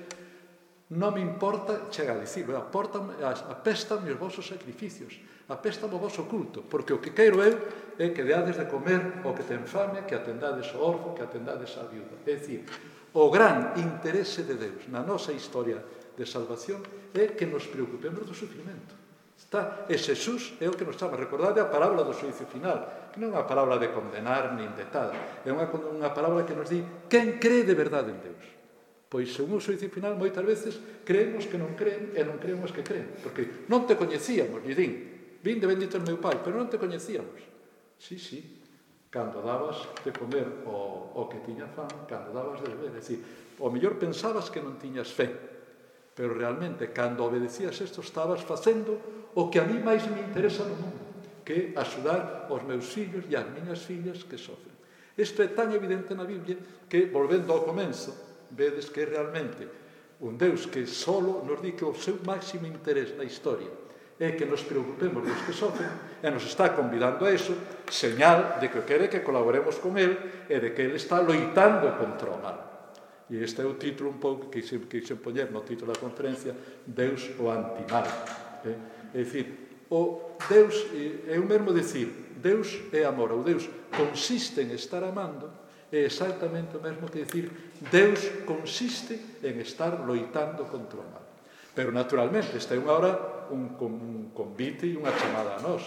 non me importa, chega a dicirlo, apéstame os vosos sacrificios, apéstame o voso culto, porque o que quero eu é que deades de comer ao que ten fame, que atendades ao orfo, que atendades á viuda. É dicir, o gran interese de Deus na nosa historia de salvación é que nos preocupemos do sufrimento. Está, e Xesús é o que nos chama. Recordade a palabra do xuízo final, que non é unha palabra de condenar nin de tal, é unha, unha palabra que nos di quen cree de verdade en Deus. Pois, según o xuízo final, moitas veces creemos que non creen e non creemos que creen, porque non te coñecíamos, lle din, vinde bendito o meu Pai, pero non te coñecíamos. Sí, sí, cando dabas de comer o, o que tiña fan, cando dabas de beber. É dicir, o mellor pensabas que non tiñas fe, pero realmente, cando obedecías isto, estabas facendo o que a mí máis me interesa no mundo, que é axudar os meus fillos e as miñas fillas que sofren. Isto é tan evidente na Biblia que, volvendo ao comenzo, vedes que realmente un Deus que solo nos di que o seu máximo interés na historia é que nos preocupemos dos que sofren e nos está convidando a eso, señal de que quere que colaboremos con Él e de que Él está loitando contra o mal. E este é o título un pouco que quixen, quixen poñer no título da conferencia, Deus o antimal. É, é dicir, o Deus, é o mesmo dicir, Deus é amor, ou Deus consiste en estar amando, é exactamente o mesmo que dicir, Deus consiste en estar loitando contra o mal. Pero, naturalmente, esta é unha hora un, un convite e unha chamada a nós.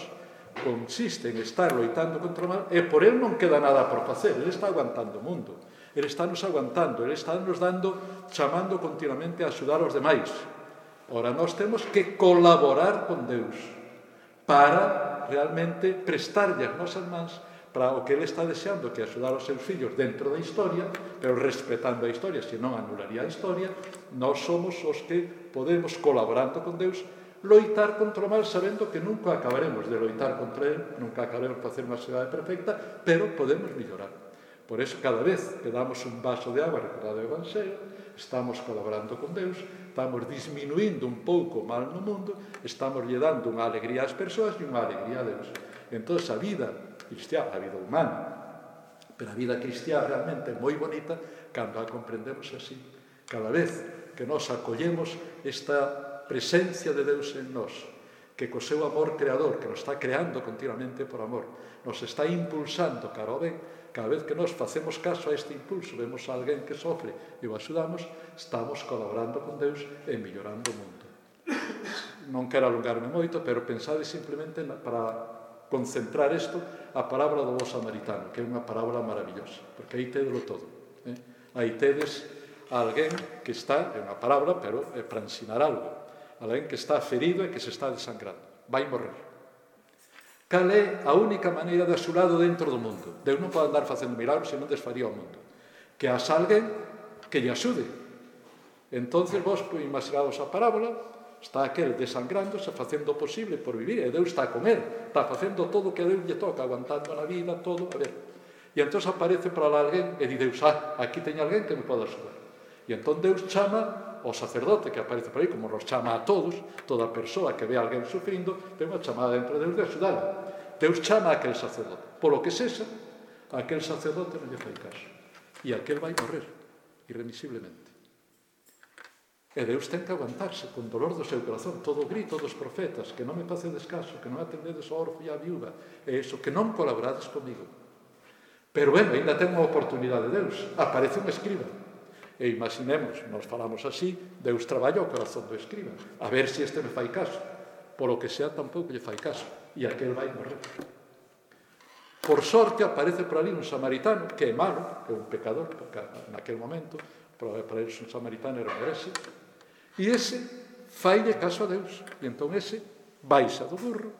Consiste en estar loitando contra o mal e por Él non queda nada por facer. Ele está aguantando o mundo. Ele está nos aguantando. Ele está nos dando, chamando continuamente a axudar aos demais. Ora, nós temos que colaborar con Deus para realmente prestarlle as nosas mans para o que Ele está deseando, que axudar os seus fillos dentro da historia, pero respetando a historia, senón anularía a historia. Nós somos os que podemos, colaborando con Deus, loitar contra o mal, sabendo que nunca acabaremos de loitar contra Él, nunca acabaremos de facer unha sociedade perfecta, pero podemos mellorar. Por eso, cada vez que damos un vaso de agua recordado do Evangelio, estamos colaborando con Deus, estamos disminuindo un pouco o mal no mundo, estamos lle dando unha alegría ás persoas e unha alegría a Deus. Entón, a vida cristiá, a vida humana, pero a vida cristiá realmente é moi bonita cando a comprendemos así. Cada vez que nos acollemos esta presencia de Deus en nós, que co seu amor creador, que nos está creando continuamente por amor, nos está impulsando cara ao ben, cada vez que nos facemos caso a este impulso, vemos a alguén que sofre e o axudamos, estamos colaborando con Deus e mellorando o mundo. Non quero alongarme moito, pero pensade simplemente para concentrar isto a parábola do bo samaritano, que é unha parábola maravillosa, porque aí tedelo todo. Eh? Aí tedes a alguén que está, é unha parábola, pero é para ensinar algo, alguén que está ferido e que se está desangrando, vai morrer. Cal é a única maneira de axudado dentro do mundo? Deus non pode andar facendo milagros se non desfaría o mundo. Que has alguén que lle axude. Entonces vos imaginaos a parábola, está aquel desangrándose, facendo o posible por vivir, e Deus está con él, está facendo todo o que a Deus lle toca, aguantando na vida, todo, a ver. E entón aparece para lá alguén e di Deus, ah, aquí teño alguén que me pode axudar. E entón Deus chama ao sacerdote que aparece por aí, como nos chama a todos, toda persoa que ve a alguén sufrindo, ten unha chamada dentro de Deus de axudarlo. Deus chama a aquel sacerdote. Por lo que sexa, aquel sacerdote non lle fai caso. E aquel vai morrer, irremisiblemente. E Deus ten que aguantarse con dolor do seu corazón, todo o grito dos profetas, que non me facedes caso, que non atendedes ao orfo e á viúva, e iso, que non colaborades comigo. Pero, bueno, ainda ten unha oportunidade de Deus. Aparece un escriba. E imaginemos, nos falamos así, Deus traballa o corazón do escriba, a ver se este me fai caso. Por o que sea, tampouco lle fai caso. E aquel vai morrer. Por sorte, aparece por ali un samaritano, que é malo, é un pecador, porque naquel momento, para ele un samaritano era un herese, e ese faille caso a Deus. E entón ese baixa do burro,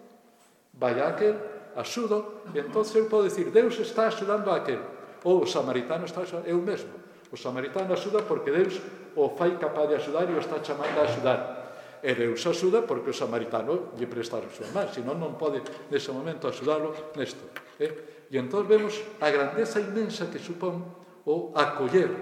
vai a aquel, axuda, e entón eu podo dicir, Deus está axudando a aquel, ou o samaritano está axudando, é o mesmo. O samaritano axuda porque Deus o fai capaz de axudar e o está chamando a axudar. E Deus axuda porque o samaritano lle presta a súa man, senón non pode nese momento axudarlo nesto. Eh? E entón vemos a grandeza inmensa que supón o acoller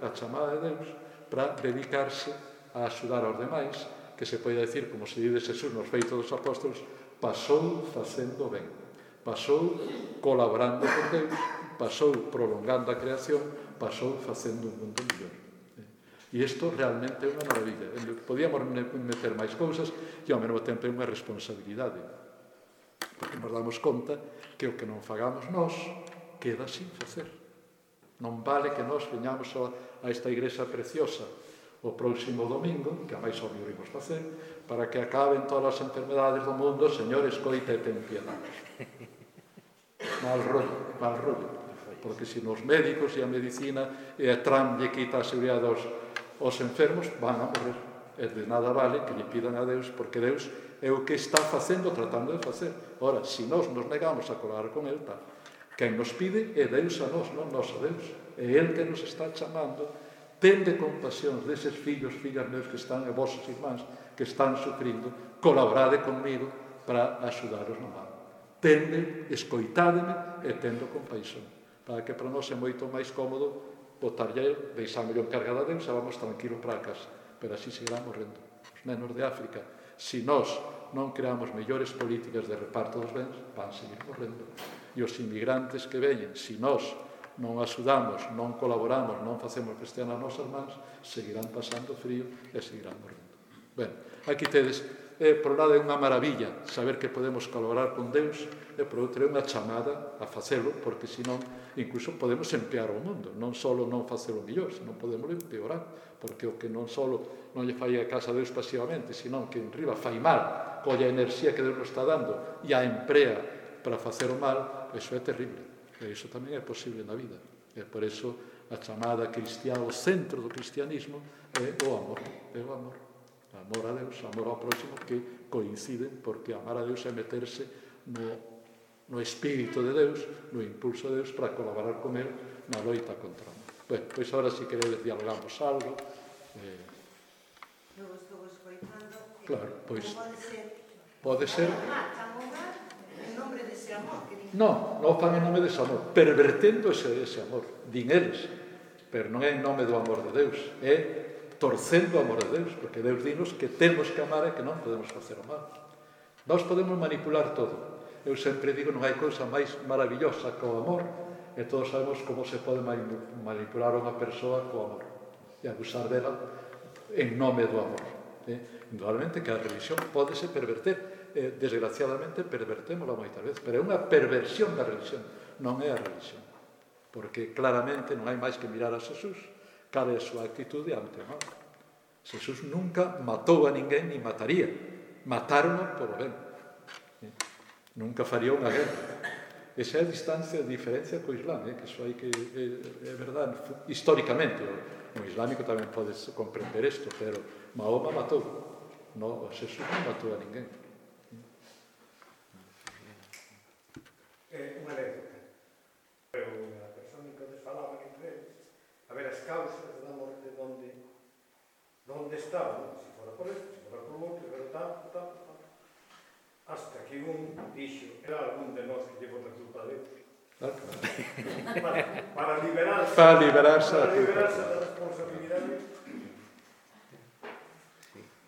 a chamada de Deus para dedicarse a axudar aos demais, que se pode decir, como se dice Jesús nos Feitos dos Apóstolos, pasou facendo ben, pasou colaborando con Deus, pasou prolongando a creación, pasou facendo un mundo mellor. E isto realmente é unha maravilla. Podíamos meter máis cousas e ao mesmo tempo é unha responsabilidade, porque nos damos conta que o que non fagamos nós queda sin facer. Non vale que nós veñamos a esta igrexa preciosa o próximo domingo, que a máis obvio iremos facer, para que acaben todas as enfermedades do mundo, Señor, escoita e ten piedade. Mal rollo, mal rollo. Porque se nos médicos e a medicina e a Trump lle quita a seguridade aos, aos enfermos, van a morrer. E de nada vale que lle pidan a Deus, porque Deus é o que está facendo, tratando de facer. Ora, se nós nos negamos a colaborar con Él, tal. Quen nos pide é Deus a nós, non nós a Deus. É Ele que nos está chamando. Tende compasión deses fillos, fillas meus que están, e vosos irmáns que están sufrindo. Colaborade conmigo para axudaros no mal. Tende, escoitádeme e tendo compaixón. Para que para nós é moito máis cómodo botarlle, deixámoslo encargado a Deus e vamos tranquilo para a casa. Pero así seguirán morrendo. Os nenos de África, se nós non creamos mellores políticas de reparto dos bens, van seguir morrendo. E os inmigrantes que veñen, se nós non axudamos, non colaboramos, non facemos cristian as nosas mans, seguirán pasando frío e seguirán morrendo. Ben, aquí tedes, eh, por un lado é unha maravilla saber que podemos colaborar con Deus, e por outro é unha chamada a facelo, porque senón incluso podemos empear o mundo, non só non facelo mellor, senón podemos empeorar, porque o que non só non lle fai a casa a Deus pasivamente, senón que en riba fai mal, colla a enerxía que Deus nos está dando e a emprea para facer o mal, iso é terrible. E iso tamén é posible na vida. E por iso a chamada cristiá, o centro do cristianismo é o amor. É o amor. O amor a Deus, o amor ao próximo, que coinciden, porque amar a Deus é meterse no, no espírito de Deus, no impulso de Deus, para colaborar con Él na loita contra o mal. Ben, pois agora si queredes dialogamos algo. Eh... Non estou escoitando. Claro, pois... Pode ser... Pode ser... En nome dese amor que Non, non fan en nome dese amor, pervertendo ese, ese amor, din eles, pero non é en nome do amor de Deus, é torcendo o amor de Deus, porque Deus dinos que temos que amar e que non podemos facer o mal. Nós podemos manipular todo. Eu sempre digo, non hai cousa máis maravillosa que o amor, e todos sabemos como se pode manipular unha persoa co amor, e abusar dela en nome do amor. Eh? Indudablemente que a religión pódese perverter, Eh, desgraciadamente pervertémola moitas veces, pero é unha perversión da religión, non é a religión, porque claramente non hai máis que mirar a Jesús, cal é a súa actitude ante o mal. Jesús nunca matou a ninguén ni mataría, mataron por o ben, eh? Nunca faría unha guerra. Esa é a distancia, a diferencia co Islam, eh? Que iso hai que, é, é verdade, históricamente o, o islámico tamén pode comprender isto, pero Mahoma matou, no, Jesús non matou a ninguén. É unha anécdota. Pero a persona que les falaban entre eles, a ver as causas da morte donde, donde estaban, se fora por esto, se fora por outro, pero tanto, tanto, tanto. Hasta que un dixo, era algún de nós que llevou a culpa de Deus. Claro, claro. Para, para liberarse, para liberarse, para liberarse da responsabilidade.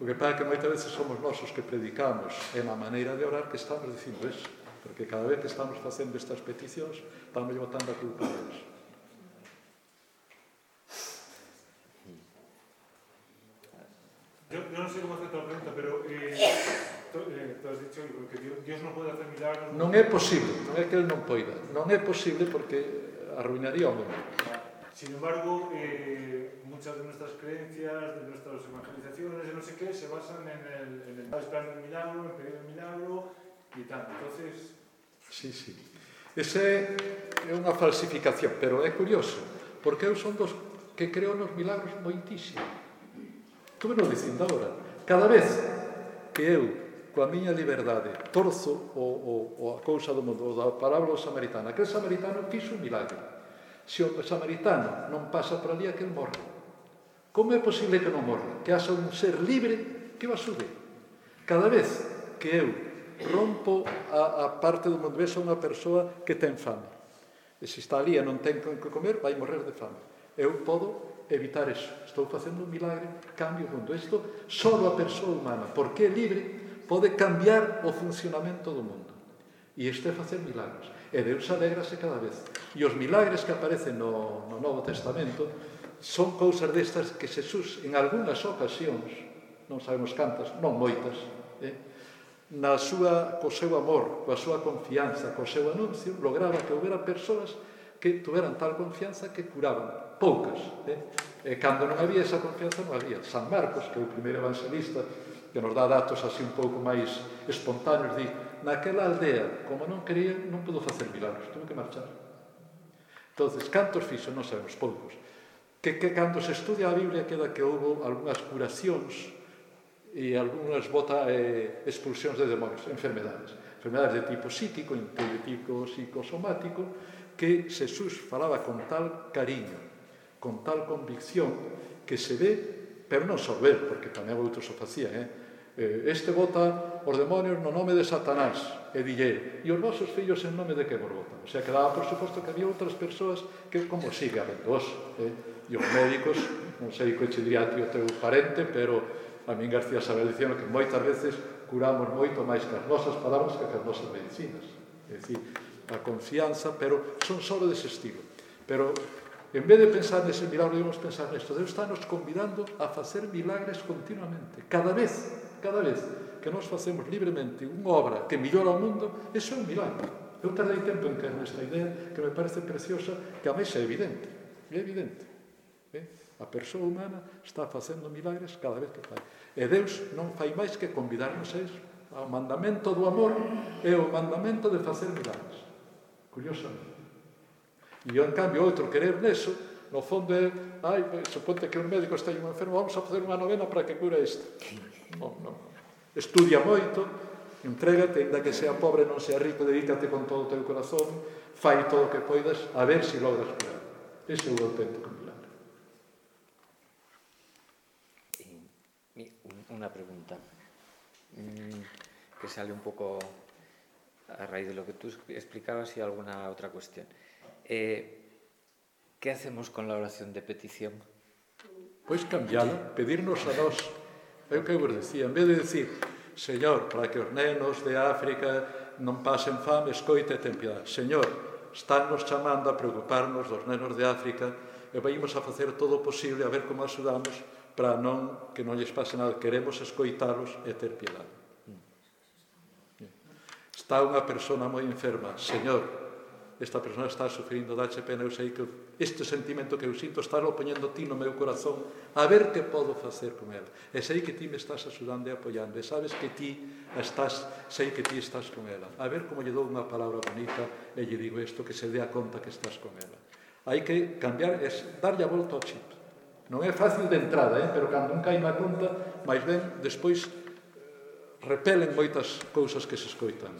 O que pasa é que moitas veces somos nós os que predicamos e na maneira de orar que estamos dicindo eso. Porque cada vez que estamos facendo estas peticións, estamos botando a culpa a Deus. Yo, yo non sei como hacer a pregunta, pero eh, tú, eh, tú has dicho que Dios, Dios non pode hacer milagros. Non é posible, non é que Él non poida. Non é posible porque arruinaría o mundo. Sin embargo, eh, muchas de nuestras creencias, de nuestras evangelizaciones, de no sé qué, se basan en el, en el esperando el milagro, en pedir el milagro y tal. Entonces... Sí, sí. Ese é unha falsificación, pero é curioso, porque eu son dos que creo nos milagros moitísimo. Como nos dicindo agora, cada vez que eu, coa miña liberdade, torzo o, o, o a cousa do mundo, o da parábola do samaritano, aquel samaritano fixo un milagre. Se o samaritano non pasa por ali, aquel morre. Como é posible que non morre? Que haxa un ser libre que o axude. Cada vez que eu rompo a, a parte do mundo, ves a unha persoa que ten fame. E se está ali e non ten que comer, vai morrer de fame. Eu podo evitar eso. Estou facendo un milagre, cambio o mundo. Isto só a persoa humana, porque é libre, pode cambiar o funcionamento do mundo. E isto é facer milagros. E Deus alégrase cada vez. E os milagres que aparecen no, no Novo Testamento son cousas destas que Xesús, en algunhas ocasións, non sabemos cantas, non moitas, eh, na súa, co seu amor, coa súa confianza, co seu anuncio, lograba que houbera persoas que tuveran tal confianza que curaban, poucas. Eh? E cando non había esa confianza, non había. San Marcos, que é o primeiro evangelista, que nos dá datos así un pouco máis espontáneos, di, naquela aldea, como non quería, non pudo facer milagros, tuve que marchar. Entonces, cantos fixo? Non sabemos, poucos. Que, que cando se estudia a Biblia queda que houve algunhas curacións e algunhas bota eh, expulsións de demonios, enfermedades. Enfermedades de tipo psíquico, de tipo psicosomático, que Xesús falaba con tal cariño, con tal convicción, que se ve, pero non só ver, porque tamén outros o facían, eh? Este vota os demonios no nome de Satanás, e dille, e os vosos fillos en nome de que vos votan? O sea, que daba por suposto que había outras persoas que, como siga habendo os, eh? E os médicos, non sei que che diría o teu parente, pero a min García Saber dicían que moitas veces curamos moito máis que as nosas palabras que as nosas medicinas. É dicir, a confianza, pero son só dese estilo. Pero, en vez de pensar nese milagro, debemos pensar nesto. Deus está nos convidando a facer milagres continuamente. Cada vez, cada vez que nos facemos libremente unha obra que millora o mundo, eso é un milagro. Eu tardei tempo en caer nesta idea que me parece preciosa, que a máis é evidente. É evidente. Eh? A persoa humana está facendo milagres cada vez que fai. E Deus non fai máis que convidarnos a iso. O mandamento do amor é o mandamento de facer milagres. Curiosamente. E eu, en cambio, outro querer neso, no fondo é, ai, suponte que un médico está un enfermo, vamos a facer unha novena para que cura isto. Non, non. Estudia moito, entrégate, ainda que sea pobre, non sea rico, dedícate con todo o teu corazón, fai todo o que poidas, a ver se logras curar. Ese é o auténtico milagre. Una pregunta mm, que sale un poco a raíz de lo que tú explicabas y alguna otra cuestión. Eh, ¿Qué hacemos con la oración de petición? Pois cambiala, pedirnos a nós. É o que eu vos decía, en vez de decir, Señor, para que os nenos de África non pasen fame, escoite e ten piedade. Señor, estánnos chamando a preocuparnos dos nenos de África e vaimos a facer todo o posible a ver como axudamos para non, que non lles pase nada. Queremos escoitalos e ter piedade. Está unha persona moi enferma. Señor, esta persona está sufrindo, dache pena, eu sei que este sentimento que eu sinto está lo poñendo ti no meu corazón, a ver que podo facer con ela. E sei que ti me estás axudando e apoiando, e sabes que ti estás, sei que ti estás con ela. A ver como lle dou unha palabra bonita e lle digo isto, que se dea conta que estás con ela. Hai que cambiar, es darlle a volta ao chip. Non é fácil de entrada, eh? Pero cando un cai na conta, máis ben, despois repelen moitas cousas que se escoitan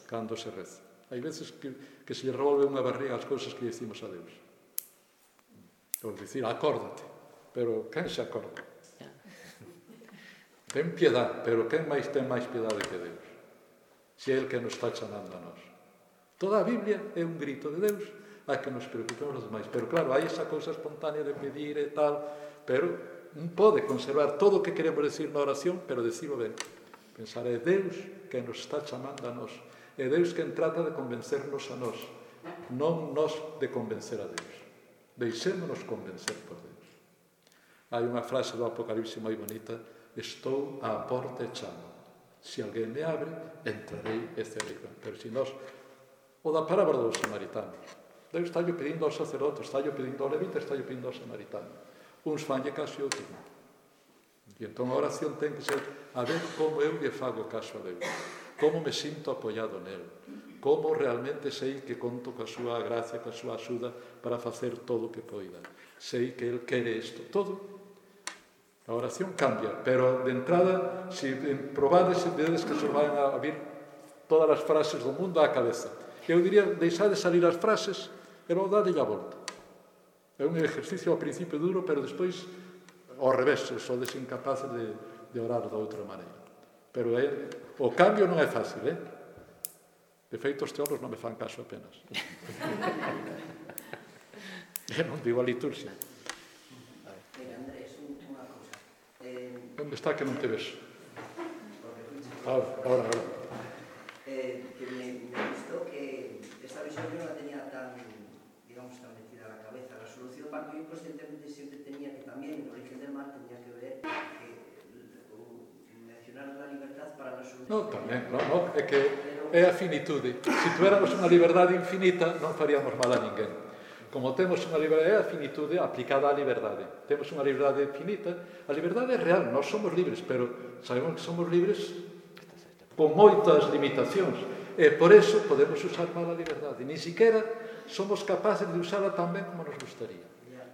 cando se reza. Hai veces que, que se lle revolve unha barriga as cousas que dicimos a Deus. Ou dicir, acórdate, pero quen se acorda? Ten piedade, pero quen máis ten máis piedade que Deus? Se é el que nos está chamando a nós. Toda a Biblia é un grito de Deus a que nos preocupemos os demais. Pero claro, hai esa cousa espontánea de pedir e tal, pero non pode conservar todo o que queremos decir na oración, pero decirlo ben. Pensar, é Deus que nos está chamando a nós. É Deus quen trata de convencernos a nós, non nós de convencer a Deus. Deixémonos convencer por Deus. Hai unha frase do Apocalipse moi bonita: estou á porta e chamo. Se alguén me abre, entrarei e cerrei. Pero se nós, o da parábola dos samaritanos, Deus está pedindo ao sacerdote, está pedindo ao levita, está pedindo ao samaritano. Uns fanlle caso e outros non. E entón a oración ten que ser a ver como eu lle fago caso a Deus, como me sinto apoiado nel, como realmente sei que conto coa súa gracia, coa súa axuda para facer todo o que poida. Sei que el quere isto, todo. A oración cambia, pero de entrada, se probades, vedes que se van a vir todas as frases do mundo á cabeza. Eu diría, deixade salir as frases e logo dadelle a volta. É un exercicio ao principio duro, pero despois ao revés, sodes incapaces de, de orar da outra maneira. Pero é, o cambio non é fácil, eh? De feito, os teólogos non me fan caso apenas. Eu non digo a liturgia. Mira, Andrés, unha cousa. Eh, Onde está que non te ves? Ahora, ahora, ahora. eh, que me, me gustó que esta visión yo no la tenía tan, digamos, tan metida en la cabeza. La solución, Paco, yo conscientemente siempre tenía que también, el origen del mal tenía que ver que o, mencionar la libertad para la solución. No, tamén, no, no, é que é a finitude. Se tuéramos unha liberdade infinita, non faríamos mal a ninguén. Como temos unha liberdade, é a finitude aplicada á liberdade. Temos unha liberdade infinita, a liberdade é real, nós somos libres, pero sabemos que somos libres con moitas limitacións, e por eso podemos usar mal a liberdade. Ni siquiera somos capaces de usarla tan ben como nos gustaría,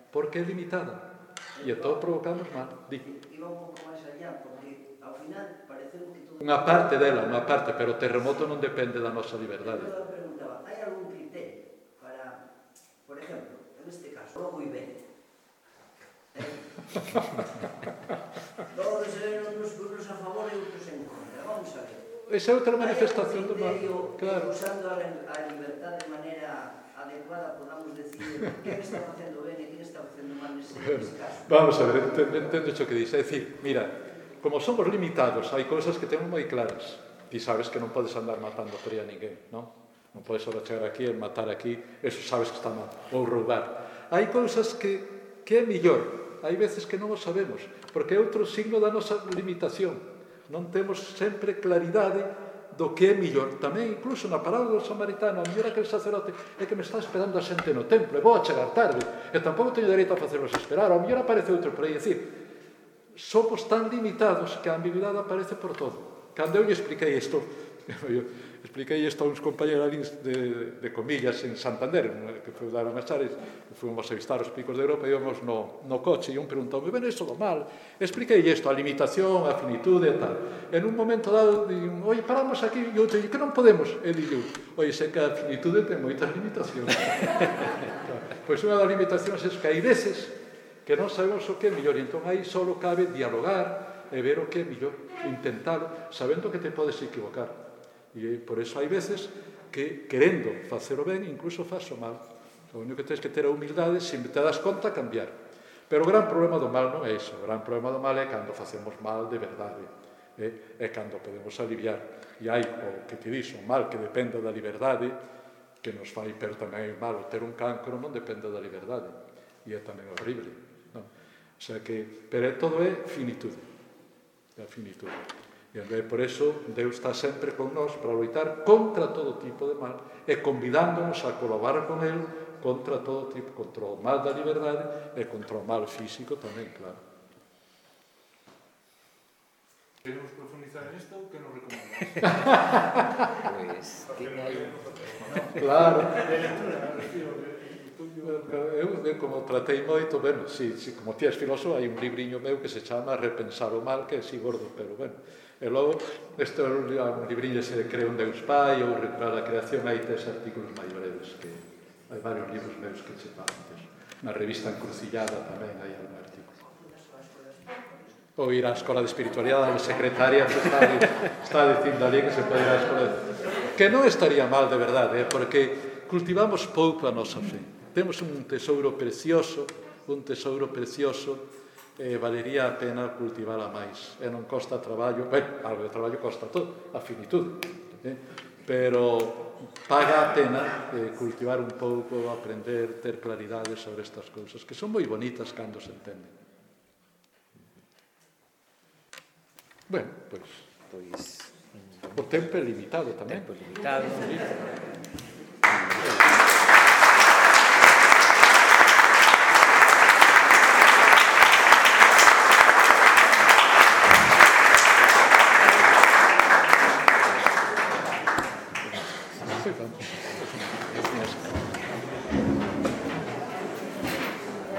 porque é limitada, e entón provocamos mal. Di. Iba un pouco máis allá, porque ao final parece que todo... Unha parte dela, unha parte, pero o terremoto non depende da nosa liberdade. Eu preguntaba, hai algún criterio para Todos eran uns unos a favor e outros en contra. Vamos a ver. Esa é outra manifestación do mal. Claro. Usando a libertad de maneira adecuada, podamos decir quen está facendo ben e quen está facendo mal nese caso. Vamos a ver, entendo, entendo o que dice. É dicir, mira, como somos limitados, hai cousas que temos moi claras. Ti sabes que non podes andar matando por aí a ninguén, non? Non podes ahora chegar aquí e matar aquí, eso sabes que está mal. Ou roubar. Hai cousas que, que é millor. Hai veces que non o sabemos, porque é outro signo da nosa limitación. Non temos sempre claridade do que é millor. Tamén, incluso na parábola do samaritano, a mellor aquel sacerdote é que me está esperando a xente no templo, e vou a chegar tarde, e tampouco teño dereito a facerlos esperar, ao mellor aparece outro por aí. É dicir, somos tan limitados que a ambigüidade aparece por todo. Cando eu lle expliquei isto, eu expliquei isto a uns compañeros de, de comillas en Santander, que foi dar unhas chares, fomos a visitar os picos de Europa e íbamos no, no coche e un preguntoume, ben, isto do mal, expliquei isto, a limitación, a finitude e tal. En un momento dado, digo, oi, paramos aquí, e outro, que non podemos? E digo, oi, sei que a finitude ten moitas limitacións. Pois unha das limitacións é que hai veces que non sabemos o que é mellor, e entón aí só cabe dialogar e ver o que é mellor, intentalo, sabendo que te podes equivocar. E por eso hai veces que, querendo facer o ben, incluso faz o mal. O único que tens que ter a humildade, se te das conta, cambiar. Pero o gran problema do mal non é iso. O gran problema do mal é cando facemos mal de verdade. É, é cando podemos aliviar. E hai o que te dixo, o mal que dependa da liberdade, que nos fai, pero tamén é malo. Ter un cancro non depende da liberdade. E é tamén horrible. Non? O sea que, pero todo é finitude. É a finitude. E por eso Deus está sempre con nós para loitar contra todo tipo de mal e convidándonos a colaborar con Él contra todo tipo, contra o mal da liberdade e contra o mal físico tamén, claro. Queremos profundizar en isto, que nos recomendamos? Pues, claro. De lectura, refiro, Eu, eu como tratei moito, bueno, si, si, como ti és filósofo, hai un libriño meu que se chama Repensar o mal, que é así gordo, pero bueno. E logo, este é un libriño se cree un Deus Pai ou Recuperar a Creación, hai tres artículos máis breves, que hai varios libros meus que se pagan. Na revista Encrucillada tamén hai algún artículo. Ou ir á Escola de Espiritualidade, a secretaria está, está dicindo ali que se pode ir á Escola de... Que non estaría mal, de verdade, eh, porque cultivamos pouco a nosa fe. Temos un tesouro precioso, un tesouro precioso, e valería a pena cultivala máis. E non costa traballo, ben, algo de traballo costa todo, a finitude, eh? Pero paga a pena eh, cultivar un pouco, aprender, ter claridade sobre estas cousas, que son moi bonitas cando se entenden. Bueno, pois... Pois... O tempo é limitado tamén. Tempo limitado. Sí, vamos.